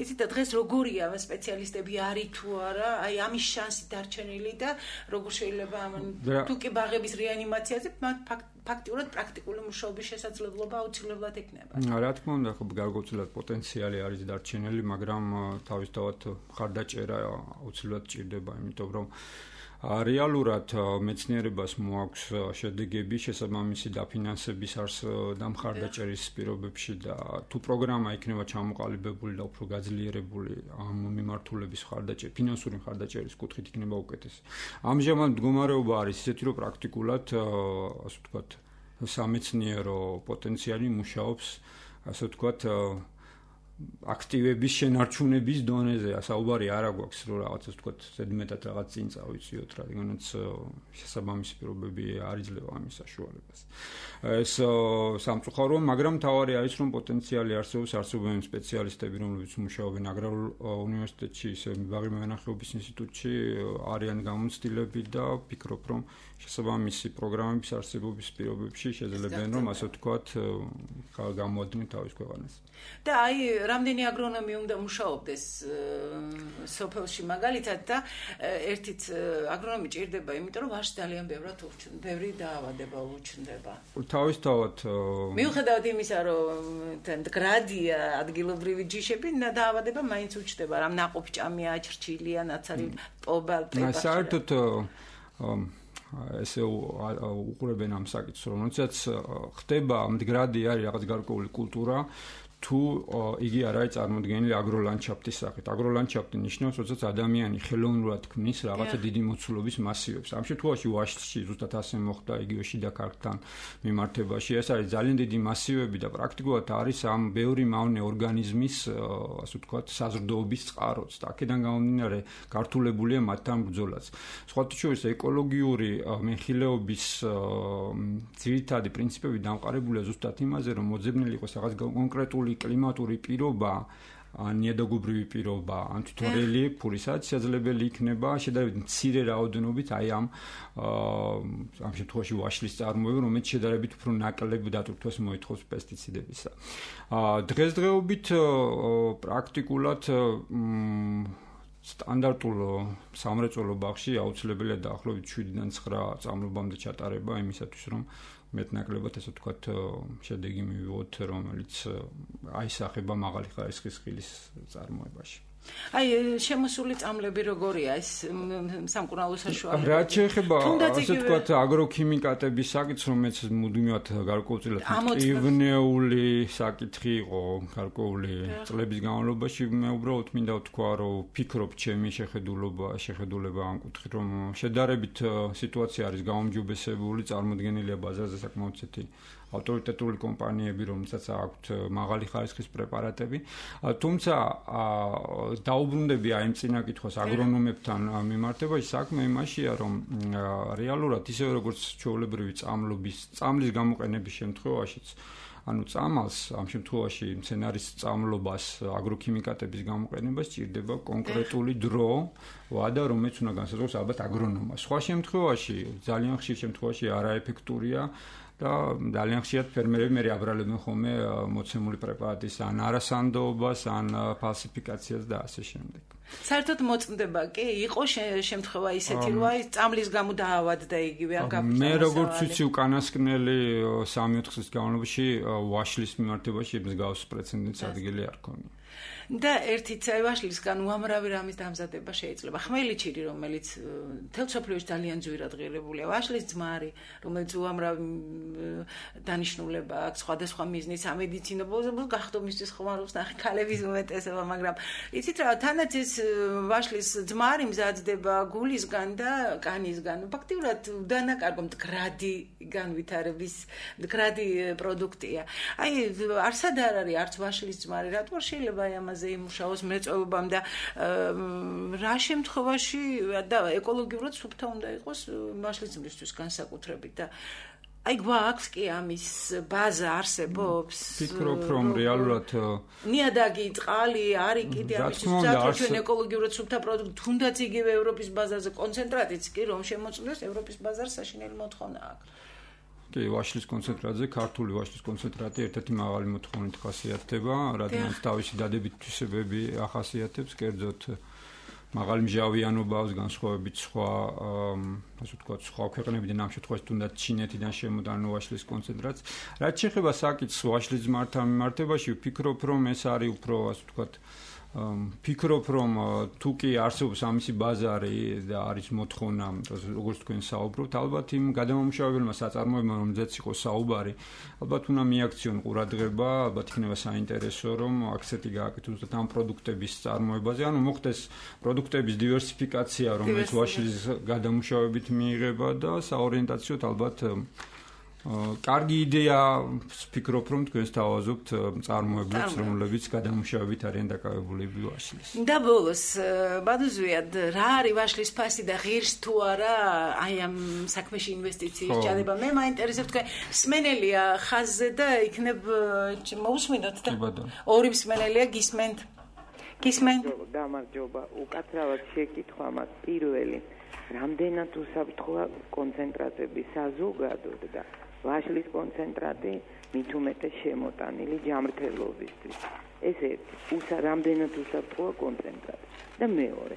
იცით და დღეს როგორია ამ სპეციალისტები არის თუ არა, აი ამის შანსი დარჩენილი და როგორ შეიძლება ამ თუ კი ბაღების რეანიმაციაზე მათ ფაქტიურად პრაქტიკული მუშაობის შესაძლებლობა აუცილებლად იქნება. რა თქმა უნდა, ხო გარკვეულად პოტენციალი არის დარჩენილი, მაგრამ თავისთავად მხარდაჭერა აუცილებლად ჭირდება, იმიტომ რომ რეალურად მეცნიერებას მოაქვს შედეგები შესაბამისი დაფინანსების არს და მხარდაჭერის პირობებში და თუ პროგრამა იქნება ჩამოყალიბებული და უფრო გაძლიერებული ამ მიმართულების მხარდაჭერის, ფინანსური მხარდაჭერის კუთხით იქნება უკეთესი. ამჟამად მდგომარეობა არის ისეთი, რომ პრაქტიკულად, ასე ვთქვათ, სამეცნიერო პოტენციალი მუშაობს, ასე ვთქვათ, აქტივების შენარჩუნების დონეზე, საუბარი არ აქვს, რომ რაღაცა ვთქვათ, ზედმეტად რაღაც წინ წავიწიოთ, რადგანაც შესაბამისი პირობები არ იძლევა ამის საშუალებას. ეს სამწუხაროა, მაგრამ თავარი არის, რომ პოტენციალი არსებობს, არსებობენ სპეციალისტები, რომლებიც მუშაობენ აგრარულ უნივერსიტეტში, ისე ბაღი მევენახეობის ინსტიტუტში, არიან გამოცდილები და ვფიქრობ, რომ შესაბამისი პროგრამების არსებობის პირობებში შეძლებენ, რომ ასე ვთქვათ, გამოადგნენ თავის ქვეყანას. და აი რამდენი აგრონომი უნდა მუშაობდეს სოფელში მაგალითად და ერთით აგრონომი ჭირდება, იმიტომ რომ ვაშს ძალიან ბევრად უჩნდება, ბევრი დაავადება უჩნდება. თავისთავად მიუხედავად იმისა, რომ მდგრადია ადგილობრივი ჯიშები, დაავადება მაინც უჩნდება, რამ ნაყოფჭამია, ჩრჩილია, ნაცარი პობა, ტება. საერთოდ ესე უყურებენ ამ საკითხს, რომ როდესაც ხდება მდგრადი არის რაღაც გარკვეული კულტურა, თუ იგი არ არის წარმოდგენილი აგროლანდშაფტის სახით. აგროლანდშაფტი ნიშნავს, როდესაც ადამიანი ხელოვნურად ქმნის რაღაცა დიდი მოცულობის მასივებს. ამ შემთხვევაში ვაშლში ზუსტად ასე მოხდა იგივე შიდა ქარგთან მიმართებაში. ეს არის ძალიან დიდი მასივები და პრაქტიკულად არის ამ ბევრი მავნე ორგანიზმის, ასე ვთქვათ, საზრდოობის წყაროც და აქედან გამომდინარე გართულებულია მათთან ბრძოლაც. სხვათა შორის ეკოლოგიური მეხილეობის ძირითადი პრინციპები დამყარებულია ზუსტად იმაზე, რომ მოძებნილი იყოს რაღაც კონკრეტული კლიმატური პირობა, ნიადაგობრივი პირობა, ან თვითონ რელიეფური, სადაც შესაძლებელი იქნება შედარებით მცირე რაოდენობით აი ამ ამ შემთხვევაში ვაშლის წარმოება, რომელიც შედარებით უფრო ნაკლებ დატვირთვას მოითხოვს პესტიციდებისა. დღესდღეობით პრაქტიკულად სტანდარტულ სამრეწველო ბაღში აუცილებელია დაახლოებით შვიდიდან ცხრა წამლობამდე ჩატარება იმისათვის, რომ მეტნაკლებად ასე ვთქვათ შედეგი მივიღოთ, რომელიც აისახება მაღალი ხარისხის ხილის წარმოებაში. აი შემოსული წამლები როგორია ეს სამკურნალო საშუალება? რაც შეეხება ასე ვთქვათ აგროქიმიკატების საკითხს, რომელიც მუდმივად გარკვეულწილად მტკივნეული საკითხი იყო გარკვეული წლების განმავლობაში, მე უბრალოდ მინდა ვთქვა, რომ ვფიქრობ ჩემი შეხედულობა, შეხედულება ამ კუთხით, რომ შედარებით სიტუაცია არის გაუმჯობესებული, წარმოდგენილია ბაზარზე საკმაოდ ცეთი ავტორიტეტული კომპანიები, რომელსაც აქვთ მაღალი ხარისხის პრეპარატები, თუმცა დაუბრუნდები აი იმ წინა კითხვას აგრონომებთან მიმართებაში, საქმე იმაშია, რომ რეალურად ისევე როგორც ჩვეულებრივი წამლობის, წამლის გამოყენების შემთხვევაშიც, ანუ წამალს ამ შემთხვევაში მცენარის წამლობას, აგროქიმიკატების გამოყენებას ჭირდება კონკრეტული დრო, ვადა, რომელიც უნდა განსაზღვროს ალბათ აგრონომმა. სხვა შემთხვევაში, ძალიან ხშირ შემთხვევაში არაეფექტურია და ძალიან ხშირად ფერმერები მე აბრალებენ ხოლმე მოცემული პრეპარატის ან არასანდოობას, ან ფალსიფიკაციას და ასე შემდეგ. საერთოდ მოწმდება კი, იყო შემთხვევა ისეთი, რომ აი წამლის გამო დაავადდა იგივე არ გაფრთხილდა. მე როგორც ვიცი, უკანასკნელი სამი ოთხ წლის განმავლობაში ვაშლის მიმართებაში მსგავს პრეცედენტის ადგილი არ ქონია. და ერთით ვაშლისგან უამრავი რამის დამზადება შეიძლება. ხმელიჩირი, რომელიც მთელ მსოფლიოში ძალიან ძვირად ღირებულია, ვაშლის ძმარი, რომელიც უამრავი დანიშნულება აქვს სხვადასხვა მიზნით, სამედიცინო ბოლოს გახდომისთვის ხმარობს ნახე ქალების უმეტესობა, მაგრამ იცით რა, თანაც ეს ვაშლის ძმარი მზადდება გულისგან და კანისგან. ფაქტიურად დანაკარგო მდგრადი განვითარების მდგრადი პროდუქტია. აი არსად არ არის არც ვაშლის ძმარი, რატო შეიძლება აი ამაზე იმუშაოს მრეწველობამ და რა შემთხვევაში და ეკოლოგიურად სუფთა უნდა იყოს ვაშლის ძმრისთვის განსაკუთრებით და აი გვაქვს კი ამის ბაზა არსებობს? ვფიქრობ, რომ რეალურად ნიადაგი, წყალი არის კიდე ამის ზუსტად ჩვენ ეკოლოგიურად სუფთა პროდუქტი, თუნდაც იგივე ევროპის ბაზარზე კონცენტრატიც კი რომ შემოწმდეს ევროპის ბაზარს საშინელი მოთხოვნა აქვს. კი, ვაშლის კონცენტრატზე, ქართული ვაშლის კონცენტრატი ერთ-ერთი მაღალი მოთხოვნით ხასიათდება, რადგან თავისი დადებით თვისებები ახასიათებს, კერძოდ მაღალი მჟავიანობა, განსხვავებით სხვა, ასე ვთქვათ, სხვა ქვეყნებიდან, ამ შემთხვევაში თუნდაც ჩინეთიდან შემოდან ვაშლის კონცენტრაცია. რაც შეეხება საკითხს ვაშლის ძმართან მიმართებაში, ვფიქრობ, რომ ეს არის უფრო, ასე ვთქვათ, ფიქრობ, რომ თუ კი არსებობს ამისი ბაზარი და არის მოთხოვნა, როგორც თქვენ საუბრობთ, ალბათ იმ გადამამუშავებელმა საწარმოებმა, რომელზეც იყო საუბარი, ალბათ უნდა მიაქციონ ყურადღება, ალბათ იქნება საინტერესო, რომ აქცენტი გააკეთოს ამ პროდუქტების წარმოებაზე, ანუ მოხდეს პროდუქტების დივერსიფიკაცია, რომელიც ვაშლის გადამუშავებით მიიღება და საორიენტაციოდ ალბათ კარგი იდეა ვფიქრობ, რომ თქვენს თავაზობთ წარმოებლებს, რომლებიც გადამუშავებით არიან დაკავებული ვაშლის. და ბოლოს, ბადუზვიად, რა არის ვაშლის ფასი და ღირს თუ არა აი ამ საქმეში ინვესტიციის ჩადება? მე მაინტერესებს თქვენ მსმენელია ხაზზე და იქნებ მოусმინოთ და ორი მსმენელია გისმენთ. გისმენთ. გამარჯობა, უკაცრავად შეკითხვა მას პირველი. რამდენად უსაფრთხოა კონცენტრატების საზოგადოდ და ვაშლის კონცენტრატი მით უმეტეს შემოტანილი ჯამრთელობისთვის. ეს ერთი, უსა რამდენად უსაფრთხოა კონცენტრატი. და მეორე,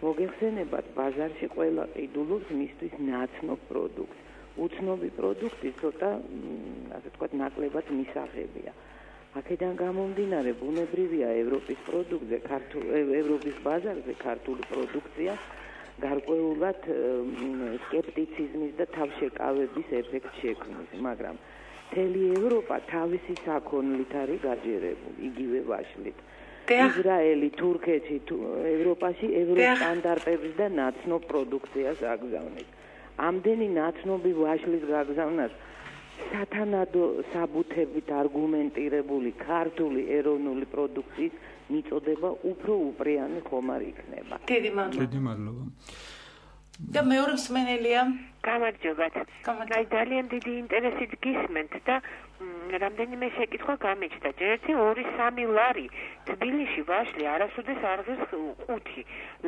მოგეხსენებათ, ბაზარში ყველა ყიდულობს მისთვის ნაცნობ პროდუქტს. უცნობი პროდუქტი ცოტა, ასე ვთქვათ, ნაკლებად მისაღებია. აქედან გამომდინარე, ბუნებრივია ევროპის პროდუქტზე, ქართულ ევროპის ბაზარზე ქართული პროდუქცია გარკვეულად სკეპტიციზმის და თავშეკავების ეფექტს შექმნის, მაგრამ მთელი ევროპა თავისი საქონლით არის გაჯერებული, იგივე ვაშლით. ისრაელი, თურქეთი, ევროპაში ევროპის სტანდარტების და ნაცნობ პროდუქციას აგზავნის. ამდენი ნაცნობი ვაშლის გაგზავნას სათანადო საბუთებით არგუმენტირებული ქართული ეროვნული პროდუქციის მიწოდება უფრო უპრიანი ხომ არ იქნება. დიდი მადლობა. დიდი მადლობა. და მეორე მსმენელია. გამარჯობათ. აი ძალიან დიდი ინტერესით გისმენთ და რამდენიმე შეკითხვა გამეჩნდა. ერთი ორი სამი ლარი თბილისში ვაშლი არასოდეს არ ღირს ხუთი.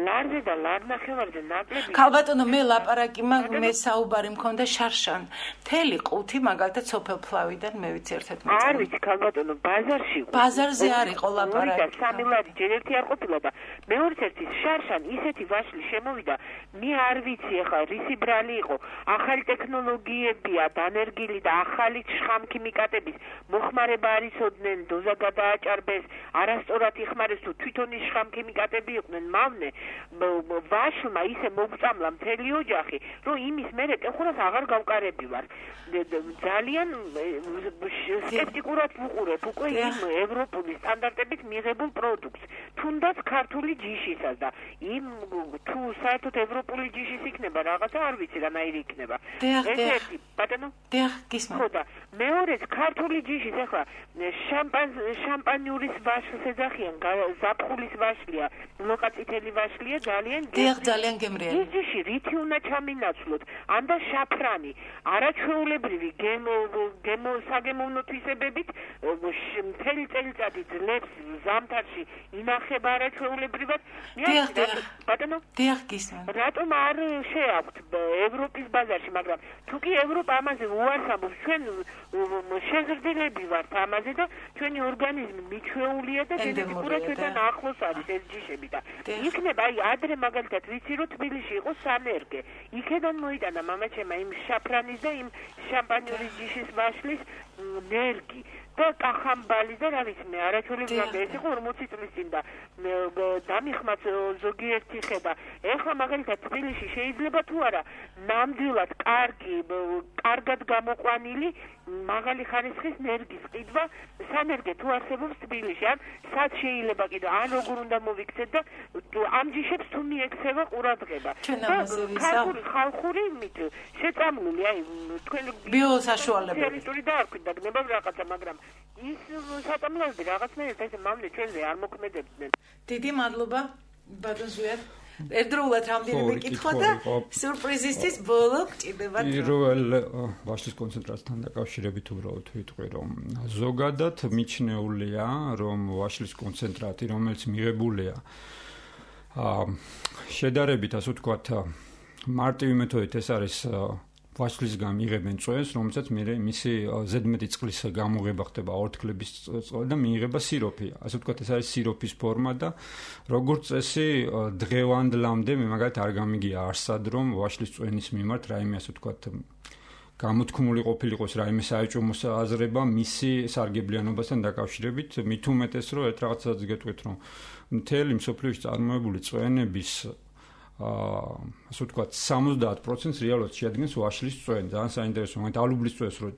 ლარზე და ლარნახევარზე ნაკლები. ქალბატონო, მე ლაპარაკი მაგ მე საუბარი მქონდა შარშან. მთელი ყუთი მაგალითად სოფელფლავიდან მე ვიცი ერთად მეწონა. არ ვიცი ქალბატონო, ბაზარში. ბაზარზე არ იყო ლაპარაკი. და სამი ლარი ჯერ ერთი არ ყოფილა და მეორე ერთი შარშან ისეთი ვაშლი შემოვიდა, მე არ ვიცი ახლა რისი ბრალი იყო. ახალი ტექნოლოგიებია დანერგილი და ახალი შხამქიმიკატების მოხმარება არისოდნენ, დოზა გადააჭარბეს, არასწორად იხმარეს თუ თვითონ ის შხამქიმიკატები იყვნენ მავნე, ვაშლმა ისე მოგწამლა მთელი ოჯახი, რომ იმის მერე ტეხურას აღარ გავკარები ვარ. ძალიან სკეპტიკურად ვუყურებ უკვე იმ ევროპული სტანდარტებით მიღებულ პროდუქტს, თუნდაც ქართული ჯიშისას და იმ თუ საერთოდ ევროპული ჯიშის იქნება რაღაცა არ ვიცი რანაირი იქნება. ერთი, ბატონო? დიახ, გისმენთ. ხო და მეორეც ქართული ჯიშის ახლა შამპანიურის ვაშლს ეძახიან, ზაფხულის ვაშლია, ლოკაწითელი ვაშლია ძალიან დიახ, ძალიან გემრიელი. ის ჯიში რითი უნდა ჩამინაცვლოთ? ანდა შაფრანი, არაჩვეულებრივი გემო გემო საგემოვნო თვისებებით მთელი წელიწადი ძლებს ზამთარში ინახება არაჩვეულებრივად. დიახ, დიახ. ბატონო? დიახ, გისმენთ. რატომ არ შეაქვთ ევროპის ბაზარში, მაგრამ თუ კი ევროპა ამაზე უარს ამბობს, ჩვენ შეზრდილები ვართ ამაზე და ჩვენი ორგანიზმი მიჩვეულია და გენეტიკურად ჩვენთან ახლოს არის ეს ჯიშები და იქნება აი ადრე მაგალითად ვიცი რომ თბილისში იყო სანერგე. იქედან მოიტანა მამაჩემა იმ შაფრანის და იმ შამპანიურის ჯიშის ვაშლის ნერგი და კახამბალი და რა ვიცი მე არაჩვეულებრივად ეს იყო ორმოცი წლის წინ და დამიხმაც ზოგიერთი ხედა. ეხლა მაგალითად თბილისში შეიძლება თუ არა ნამდვილად კარგი კარგად გამოყვანილი მაღალი ხარისხის ნერგის ყიდვა სანერგე თუ არსებობს თბილისში, ან სად შეიძლება კიდე ან როგორ უნდა მოვიქცეთ და ამ ჯიშებს თუ მიექცევა ყურადღება. ქართული ხალხური მით შეწამლული აი თქვენ ბიოსაშუალებები ტერიტორი დაარქვით და გნებავ რაღაცა, მაგრამ ის საწამლოები რაღაცნაირად ესე მამლე ჩვენზე არ მოქმედებდნენ. დიდი მადლობა ბატონზვიად. ერთდროულად რამდენიმე კითხვა და სიურპრიზისთვის ბოლო გჭირდებათ. პირველ ვაშლის კონცენტრაციასთან დაკავშირებით უბრალოდ ვიტყვი, რომ ზოგადად მიჩნეულია, რომ ვაშლის კონცენტრატი, რომელიც მიღებულია შედარებით, ასე ვთქვათ, მარტივი მეთოდით, ეს არის ვაშლისგან იღებენ წვენს, რომელსაც მე მისი ზედმეტი წყლის გამოღება ხდება ორთქლების წყალი და მიიღება სიროფი. ასე ვთქვათ, ეს არის სიროფის ფორმა და როგორც წესი დღევანდლამდე მე მაგალითად არ გამიგია არსად რომ ვაშლის წვენის მიმართ რაიმე ასე ვთქვათ გამოთქმული ყოფილიყოს რაიმე საეჭვო აზრება მისი სარგებლიანობასთან დაკავშირებით, მით უმეტეს რომ ერთ რაღაცას გეტყვით რომ მთელი მსოფლიოში წარმოებული წვენების აა ასე ვთქვათ სამოცდაათ პროცენტს რეალურად შეადგენს ვაშლის წვენი. ძალიან საინტერესო, მაგრამ ალუბლის წვენს რო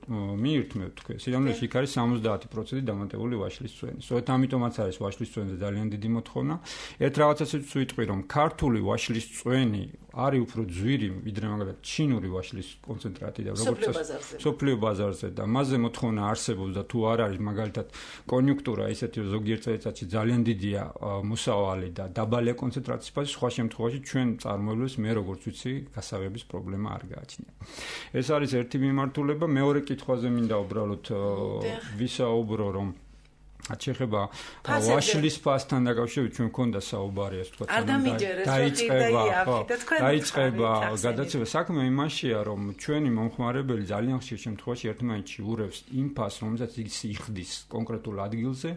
მიირთმევთ თქვენ, სიამოვნებაში იქ არის სამოცდაათი პროცენტი დამატებული ვაშლის წვენი. სწორედ ამიტომაც არის ვაშლის წვენზე ძალიან დიდი მოთხოვნა. ერთ რაღაცასაც ვიტყვი რომ ქართული ვაშლის წვენი არის უფრო ძვირი ვიდრე მაგალითად ჩინური ვაშლის კონცენტრატი და როგორც სოფლიო ბაზარზე და მასზე მოთხოვნა არსებობს და თუ არ არის მაგალითად კონიუნქტურა ისეთი ზოგიერთ წელიწადში ძალიან დიდია მოსავალი და დაბალია კონცენტრაციის ფაზი, სხვა შემთხვევაში ჩვენ წარმოებლებს მე როგორც ვიცი გასაღების პრობლემა არ გააჩნია. ეს არის ერთი მიმართულება, მეორე კითხვაზე მინდა უბრალოდ ვისაუბრო რომ აჩეხება ვაშლის ფასთან დაკავშირებით ჩვენ მქონდა საუბარი ასე ვთქვათ დაიწყება დაიწყება გადაცემა საქმე იმაშია რომ ჩვენი მომხმარებელი ძალიან ხშირ შემთხვევაში ერთმანეთში ურევს იმ ფასს რომელსაც ის იხდის კონკრეტულ ადგილზე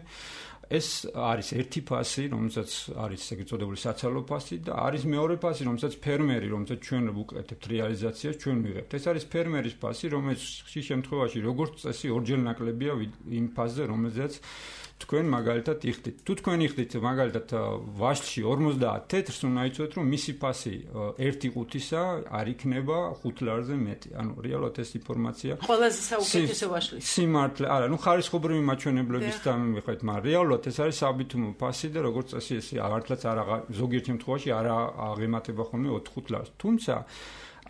ეს არის ერთი ფასი რომელსაც არის ეგრეთ წოდებული საცალო ფასი და არის მეორე ფასი რომელსაც ფერმერი რომელსაც ჩვენ ვუკეთებთ რეალიზაციას ჩვენ ვიღებთ ეს არის ფერმერის ფასი რომელიც ხშირ შემთხვევაში როგორც წესი ორჯერ ნაკლებია იმ ფასზე რომელზეც თქვენ მაგალითად იხდით. თუ თქვენ იხდით მაგალითად ვაშლში ორმოცდაათ თეთრს უნდა იცოდეთ რომ მისი ფასი ერთი ყუთისა არ იქნება ხუთ ლარზე მეტი. ანუ რეალურად ეს ინფორმაცია ყველაზე საუკეთესო ვაშლის. სიმართლე, არა, ნუ ხარისხობრივი მაჩვენებლების დამიმიხეთ, მაგრამ რეალურად ეს არის საბითუმო ფასი და როგორც წესი ეს არათლაც არ ზოგიერთ შემთხვევაში არ აღემატება ხოლმე ოთხ-ხუთ ლარს. თუმცა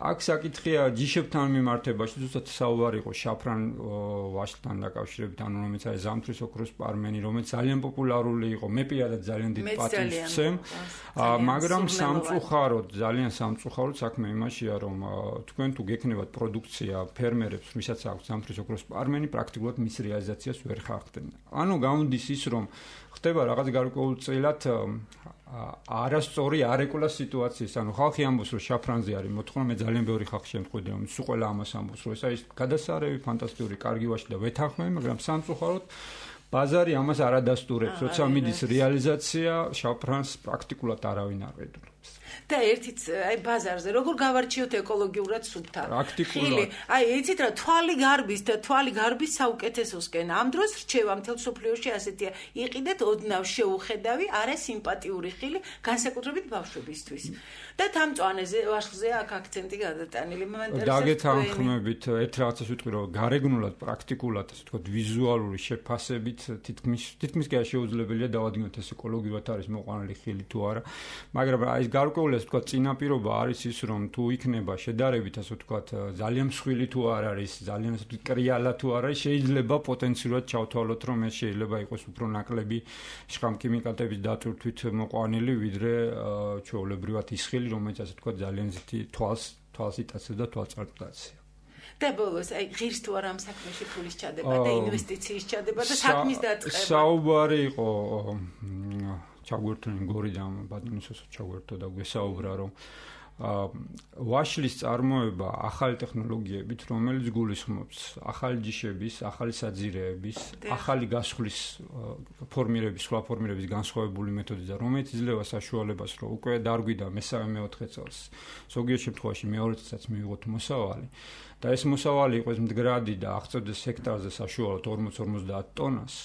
აქ საკითხია ჯიშებთან მიმართებაში, ზუსტად საუბარი იყო შაფრან ვაშლთან დაკავშირებით, ანუ რომელიც არის ზამთრის ოქროს პარმენი, რომელიც ძალიან პოპულარული იყო, მე პირადად ძალიან დიდ პატივს ვცემ, მაგრამ სამწუხაროდ, ძალიან სამწუხაროდ საქმე იმაშია, რომ თქვენ თუ გექნებათ პროდუქცია ფერმერებს, ვისაც აქვს ზამთრის ოქროს პარმენი, პრაქტიკულად მის რეალიზაციას ვერ ხარხდნენ. ანუ გამოდის ის, რომ ხდება რაღაც გარკვეულწილად არასწორი არეკულა სიტუაციის, ანუ ხალხი ამბობს რომ შაფრანზე არის მოთხოვნა, მე ძალიან ბევრი ხალხი შემთხვევით რომ სულ ყველა ამას ამბობს რომ ეს არის გადასარევი, ფანტასტიკური, კარგი ვაშლი და ვეთანხმები, მაგრამ სამწუხაროდ ბაზარი ამას არ ადასტურებს, როცა მიდის რეალიზაცია, შაფრანს პრაქტიკულად არავინ არ ედურებს. და ერთიც აი ბაზარზე როგორ გავარჩიოთ ეკოლოგიურად სუფთა ხილი აი იცით რა თვალი გარბის და თვალი გარბის საუკეთესოსკენ ამ დროს რჩევა მთელ სოფლიოში ასეთია იყიდეთ ოდნავ შეუხედავი არა სიმპათიური ხილი განსაკუთრებით ბავშვებისთვის და თამწვანეზე ვაშლზე აქ აქცენტი გადატანილი მომენტებში დაგეთანხმებით ერთ რაღაცას ვიტყვი რომ გარეგნულად პრაქტიკულად ასე ვთქვათ ვიზუალური შეფასებით თითქმის თითქმის კი შეუძლებელია დავადგინოთ ეს ეკოლოგიურად არის მოყვანილი ხილი თუ არა მაგრამ აი გარკვეული ასე ვთქვათ წინაპირობა არის ის რომ თუ იქნება შედარებით ასე ვთქვათ ძალიან მსხვილი თუ არ არის ძალიან ასე ვთქვათ კრიალა თუ არ არის შეიძლება პოტენციურად ჩავთვალოთ რომ ეს შეიძლება იყოს უფრო ნაკლები შხამქიმიკატების დატვირთვით მოყვანილი ვიდრე ჩვეულებრივად ის ხილი რომელიც ასე ვთქვათ ძალიან ზითი თვალს თვალს იტაცებს და თვალწარმტაცია და ბოლოს აი ღირს თუ არ ამ საქმეში ფულის ჩადება და ინვესტიციის ჩადება და საქმის დაწყება საუბარი იყო ჩაგვერთონი გორიდან ბატონისოს ჩაგვერთო და გვესაუბრა რომ ვაშლის წარმოება ახალი ტექნოლოგიებით რომელიც გულისხმობს ახალი ჯიშების, ახალი საძირეების, ახალი გასხლის ფორმირების, სხვა ფორმირების განსხვავებული მეთოდი და რომელიც იძლევა საშუალებას რომ უკვე დარგვიდა მესამე მეოთხე წელს ზოგიერთ შემთხვევაში მეორე წელსაც მივიღოთ მოსავალი და ეს მოსავალი იყოს მდგრადი და აღწევდეს ჰექტარზე საშუალოდ ორმოც ორმოცდაათ ტონას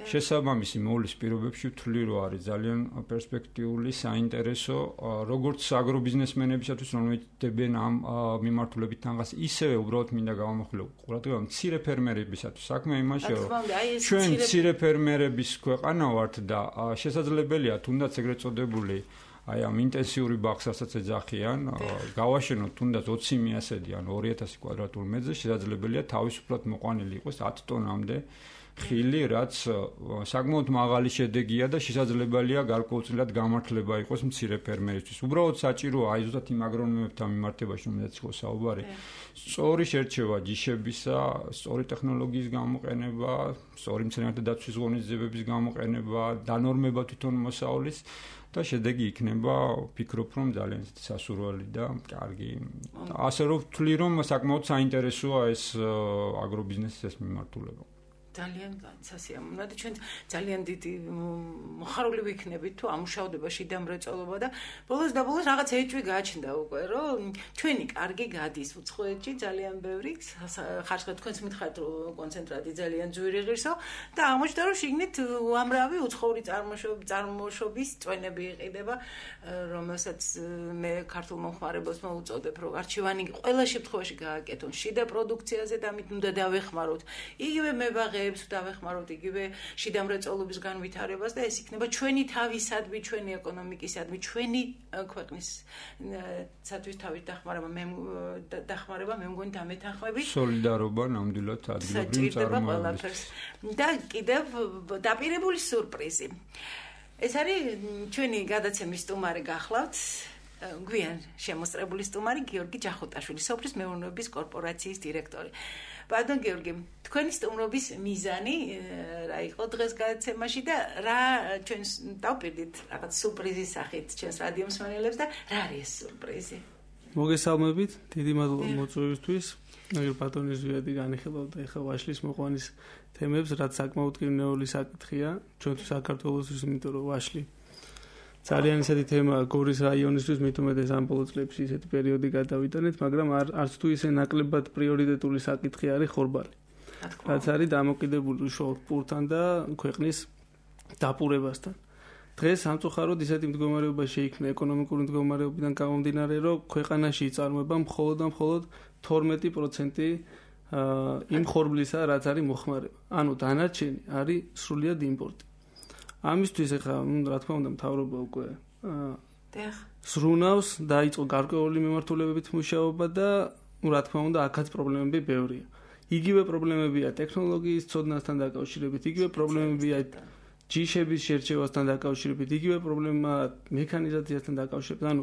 შესაბამისი მოვლის პირობებში ვთვლი რომ არის ძალიან პერსპექტიული, საინტერესო, როგორც აგრობიზნესმენებისათვის, რომლებიც დებენ ამ მიმართულებით თანხას, ისევე უბრალოდ მინდა გავამახვილო ყურადღება მცირე ფერმერებისათვის. საქმე იმაშია, რომ ჩვენ მცირე ფერმერების ქვეყანა ვართ და შესაძლებელია თუნდაც ეგრეთ წოდებული აი ამ ინტენსიური ბაღსაც ეძახიან, გავაშენოთ თუნდაც ოცი მიასედი ან ორი ათასი კვადრატულ მეტრზე, შესაძლებელია თავისუფლად მოყვანილი იყოს ათ ტონამდე ხილი, რაც საკმაოდ მაღალი შედეგია და შესაძლებელია გარკვეულწილად გამართლება იყოს მცირე ფერმერისთვის. უბრალოდ საჭიროა აი ზუსტად იმ აგრონომებთან მიმართებაში, რომელზეც იყო საუბარი, სწორი შერჩევა ჯიშებისა, სწორი ტექნოლოგიის გამოყენება, სწორი მცენარეთა დაცვის ღონისძიებების გამოყენება, დანორმება თვითონ მოსავლის და შედეგი იქნება, ვფიქრობ, რომ ძალიან სასურველი და კარგი. ასე რომ ვთვლი, რომ საკმაოდ საინტერესოა ეს აგრობიზნესის ეს მიმართულება. ძალიან სასიამოვნოა და ჩვენ ძალიან დიდი მოხარული ვიქნებით თუ ამუშავდება შიდა მრეწველობა და ბოლოს და ბოლოს რაღაც ეჭვი გააჩნდა უკვე რომ ჩვენი კარგი გადის უცხოეთში ძალიან ბევრი ხარშხა თქვენს მითხართ რომ კონცენტრატი ძალიან ძვირი ღირსო და აღმოჩნდა რომ შიგნით უამრავი უცხოური წარმოშობის წვენები იყიდება რომელსაც მე ქართულ მომხმარებელს მოუწოდებ რომ არჩევანი ყველა შემთხვევაში გააკეთონ შიდა პროდუქციაზე და ამით უნდა დავეხმაროთ იგივე მებაღე დავეხმაროთ იგივე შიდა მრეწველობის განვითარებას და ეს იქნება ჩვენი თავისადმი, ჩვენი ეკონომიკისადმი, ჩვენი ქვეყნის სათვის თავის დახმარება, მე დახმარება მე მგონი დამეთანხმები. სოლიდარობა ნამდვილად ადგილობრივ წარმოებებს. და კიდევ დაპირებული სურპრიზი. ეს არის ჩვენი გადაცემის სტუმარი გახლავთ. გვიან შემოსწრებული სტუმარი გიორგი ჯახუტაშვილი, სოფლის მეურნეობის კორპორაციის დირექტორი. Pardon, Georgi, თქვენი სტუმრობის მიზანი რა იყო დღეს გადაცემაში და რა ჩვენს დავპირდით რაღაც სურპრიზის სახით ჩვენს რადიო მსმენელებს და რა არის ეს სურპრიზი? მოგესალმებით, დიდი მადლობა მოწვევისთვის. აგერ ბატონი ზვიადი განიხილავდა ეხლა ვაშლის მოყვანის თემებს, რაც საკმაოდ კრინეული საკითხია ჩვენთვის საქართველოსთვის, იმიტომ რომ ვაშლი ძალიან ისეთი თემაა გორის რაიონისთვის, მით უმეტეს ამ ბოლო წლებში ისეთი პერიოდი გადავიტანეთ, მაგრამ არც თუ ისე ნაკლებად პრიორიტეტული საკითხი არის ხორბალი. რაც არის დამოკიდებული უშუალოდ პურთან და ქვეყნის დაპურებასთან. დღეს სამწუხაროდ ისეთი მდგომარეობა შეიქმნა ეკონომიკური მდგომარეობიდან გამომდინარე, რომ ქვეყანაში იწარმოება მხოლოდ და მხოლოდ თორმეტი პროცენტი იმ ხორბლისა, რაც არის მოხმარება. ანუ დანარჩენი არის სრულიად იმპორტი. ამისთვის ახლა რა თქმა უნდა მთავრობა უკვე ზრუნავს, დაიწყო გარკვეული მიმართულებებით მუშაობა და რა თქმა უნდა აქაც პრობლემები ბევრია. იგივე პრობლემებია ტექნოლოგიის ცოდნასთან დაკავშირებით, იგივე პრობლემებია ჯიშების შერჩევასთან დაკავშირებით, იგივე პრობლემაა მექანიზაციასთან დაკავშირებით. ანუ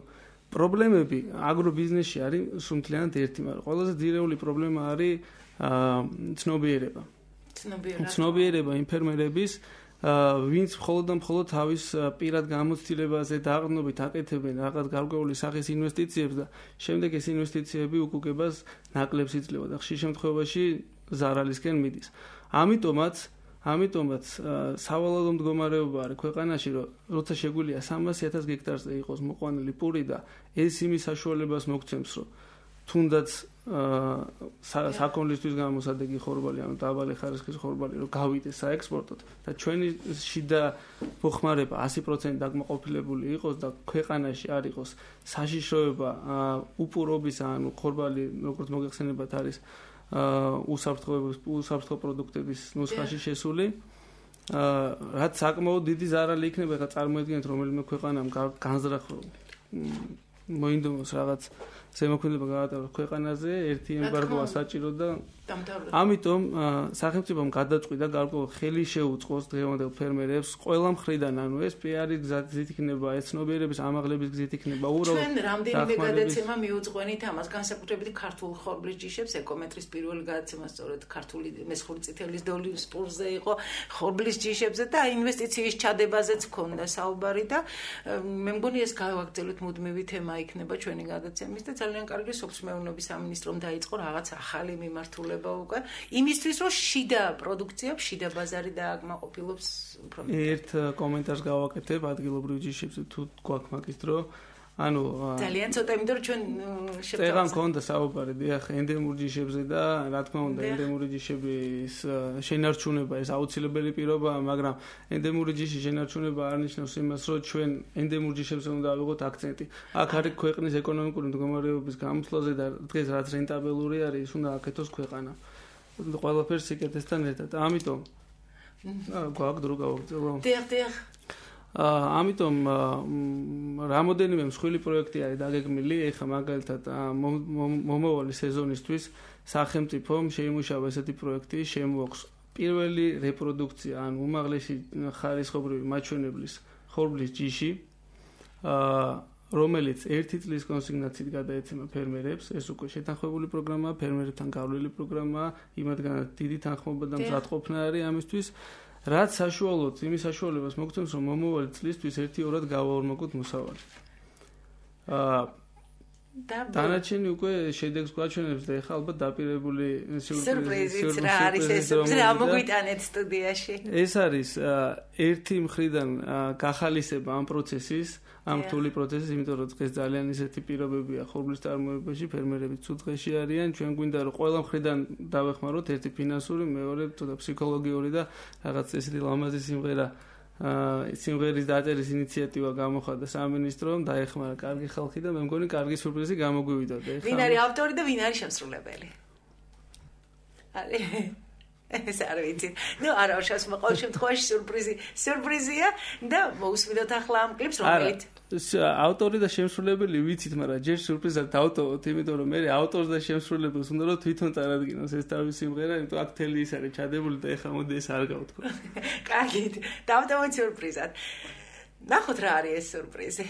პრობლემები აგრობიზნესში არის სრულთლიანად ერთი, მაგრამ ყველაზე ძირეული პრობლემა არის ცნობიერება. ცნობიერება იმ ფერმერების ვინც მხოლოდ და მხოლოდ თავის პირად გამოცდილებაზე დაყრდნობით აკეთებენ რაღაც გარკვეული სახის ინვესტიციებს და შემდეგ ეს ინვესტიციები უკუგებას ნაკლებს იძლევა და ხშირ შემთხვევაში ზარალისკენ მიდის. ამიტომაც ამიტომაც სავალალო მდგომარეობა არის ქვეყანაში, რომ როცა შეგვიძლია სამასი ათას გექტარზე იყოს მოყვანილი პური და ეს იმის საშუალებას მოგცემს, რომ თუნდაც საქონლისთვის გამოსადეგი ხორბალი, ანუ დაბალი ხარისხის ხორბალი, რომ გავიდეს საექსპორტოდ და ჩვენი შიდა მოხმარება ასი პროცენტი დაკმაყოფილებული იყოს და ქვეყანაში არ იყოს საშიშროება უპურობის, ანუ ხორბალი, როგორც მოგეხსენებათ, არის უსაფრთხო უსაფრთხო პროდუქტების ნუსხაში შესული. რაც საკმაოდ დიდი ზარალი იქნება, ხა წარმოედგინეთ, რომელიმე ქვეყანამ განზრახო მოინდომოს რაღაც ზემოქმედება გაატაროს ქვეყანაზე, ერთი ემბარგოა საჭირო და ამიტომ სახელმწიფომ გადაწყვიტა გარკვეულ ხელი შეუწყოს დღევანდელ ფერმერებს ყველა მხრიდან, ანუ ეს პიარის გზით იქნება, ეს ცნობიერების ამაღლების გზით იქნება, უბრალოდ ჩვენ რამდენიმე გადაცემა მიუძღვენით ამას, განსაკუთრებით ქართულ ხორბლის ჯიშებს, ეკომეტრის პირველი გადაცემა სწორედ ქართული მესხური წითელის დოლის პურზე იყო ხორბლის ჯიშებზე და ინვესტიციის ჩადებაზეც ქონდა საუბარი და მე მგონი ეს გავაგრძელოთ მუდმივი თემა იქნება ჩვენი გადაცემის და ძალიან კარგი სოფლის მეურნეობის სამინისტრომ დაიწყო რაღაც ახალი მიმართულება უკვე იმისთვის რომ შიდა პროდუქცია, შიდა ბაზარი დააკმაყოფილოს უფრო ერთ კომენტარს გავაკეთებ ადგილობრივ ჯიშებზე თუ გვაქვს მაგის დრო ანუ ძალიან ცოტა იმიტომ რომ ჩვენ შევწავ წეგან მქონდა საუბარი დიახ ენდემურ ჯიშებზე და რა თქმა უნდა ენდემური ჯიშების შენარჩუნება ეს აუცილებელი პირობაა, მაგრამ ენდემური ჯიშის შენარჩუნება არ ნიშნავს იმას რომ ჩვენ ენდემურ ჯიშებზე უნდა ავიღოთ აქცენტი. აქ არის ქვეყნის ეკონომიკური მდგომარეობის გამოსვლაზე და დღეს რაც რენტაბელური არის ის უნდა აკეთოს ქვეყანა ყველაფერს სიკეთესთან ერთად. ამიტომ გვაქვს დრო გავაგრძელო. დიახ დიახ ამიტომ რამოდენიმე მსხვილი პროექტი არის დაგეგმილი, ეხლა მაგალითად მომავალი სეზონისთვის სახელმწიფომ შეიმუშავა ესეთი პროექტი, შემოაქვს პირველი რეპროდუქცია, ან უმაღლესი ხარისხობრივი მაჩვენებლის ხორბლის ჯიში, რომელიც ერთი წლის კონსიგნაციით გადაეცემა ფერმერებს, ეს უკვე შეთანხმებული პროგრამაა, ფერმერებთან გავლილი პროგრამაა, იმათგანაც დიდი თანხმობა და მზადყოფნა არის ამისთვის, რაც საშუალოდ იმის საშუალებას მოგცემს, რომ მომავალი წლისთვის ერთი-ორად გავაორმაგოთ მოსავალი. აა დანარჩენი უკვე შედეგს გვაჩვენებს და ეხლა ალბათ დაპირებული სიურპრიზიც რა არის ეს რა მოგვიტანეთ სტუდიაში. ეს არის ერთი მხრიდან გახალისება ამ პროცესის, ამ რთული პროცესის, იმიტომ რომ დღეს ძალიან ისეთი პირობებია ხორბლის წარმოებაში, ფერმერები ცუდ დღეში არიან, ჩვენ გვინდა რომ ყველა მხრიდან დავეხმაროთ, ერთი ფინანსური, მეორე ცოტა ფსიქოლოგიური და რაღაც ესეთი ლამაზი სიმღერა სიმღერის დაწერის ინიციატივა გამოხატა სამინისტრომ, დაეხმარა კარგი ხალხი და მე მგონი კარგი სიურპრიზი გამოგვივიდა. ვინ არის ავტორი და ვინ არის შემსრულებელი? არის ეს არ ვიცი. ნუ არა, შას მოყოლ შემთხვევაში სიურპრიზი, სიურპრიზია და მოусმინოთ ახლა ამ კლიპს, რომელიც ავტორი და შემსრულებელი ვიცით, მაგრამ ჯერ სიურპრიზად დავტოვოთ, იმიტომ რომ მე ავტორს და შემსრულებელს უნდა რომ თვითონ წარადგინოს ეს თავის სიმღერა, იმიტომ აქ თელი ის არის ჩადებული და ეხლა მოდი ეს არ გავთქვა. კარგით, დავტოვოთ სიურპრიზად. ნახოთ რა არის ეს სიურპრიზი.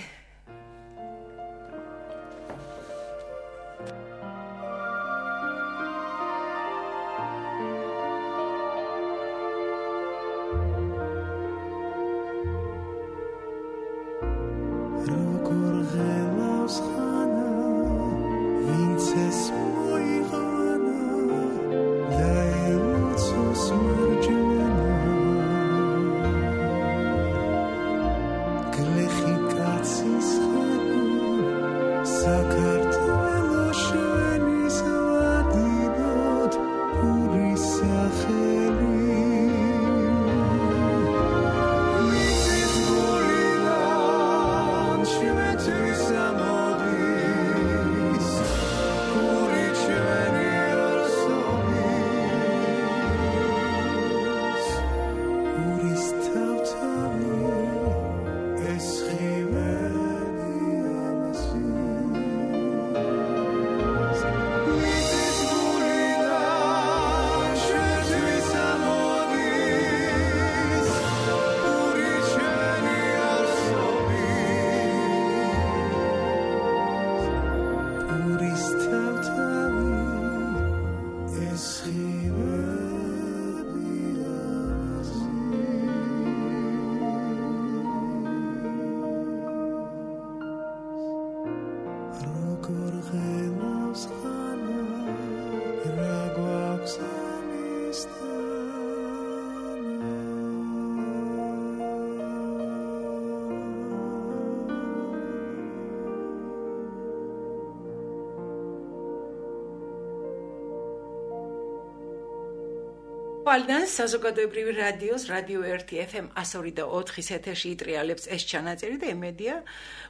Paldan საზოგადოებრივი რადიოს რადიო ერთი ეფ ემ one oh two და four ეთერში იტრიალებს ეს ჩანაწერი და იმედია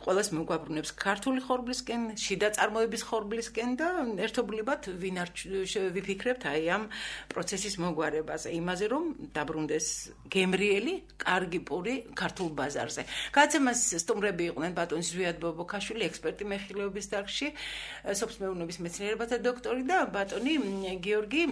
ყველას მოგვაბრუნებს ქართული ხორბლისკენ, შიდა წარმოების ხორბლისკენ და ერთობლივად ვინ არ ვიფიქრებთ აი ამ პროცესის მოგვარებაზე, იმაზე რომ დაბრუნდეს გემრიელი, კარგი პური ქართულ ბაზარზე. გადაცემას სტუმრები იყვნენ ბატონი ზვიად ბობოქაშვილი, ექსპერტი მეხილეობის დარგში, სოფლმეურნეობის მეცნიერებათა დოქტორი და ბატონი გიორგი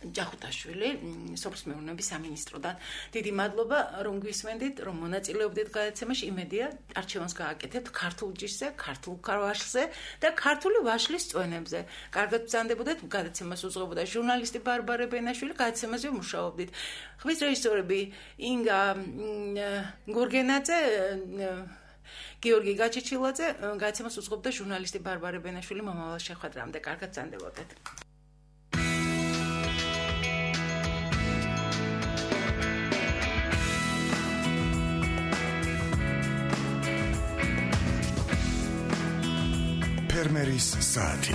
ჯახუტაშვილი სოფლმეურნეობის სამინისტროდან. დიდი მადლობა რომ გვისმენდით, რომ მონაწილეობდით გადაცემაში. იმედია არჩევანს გააკეთებთ ქართულ ჯიშზე, ქართულ ვაშლზე და ქართული ვაშლის წვენებზე. კარგად ბრძანდებოდეთ, გადაცემას უძღვებოდა ჟურნალისტი ბარბარე ბენაშვილი, გადაცემაზე მუშაობდით. ხმის რეჟისორები ინგა გურგენაძე, გიორგი გაჩეჩილაძე, გადაცემას უძღვებოდა ჟურნალისტი ბარბარე ბენაშვილი. მომავალ შეხვედრამდე კარგად ბრძანდებოდეთ. ფერმერის საათი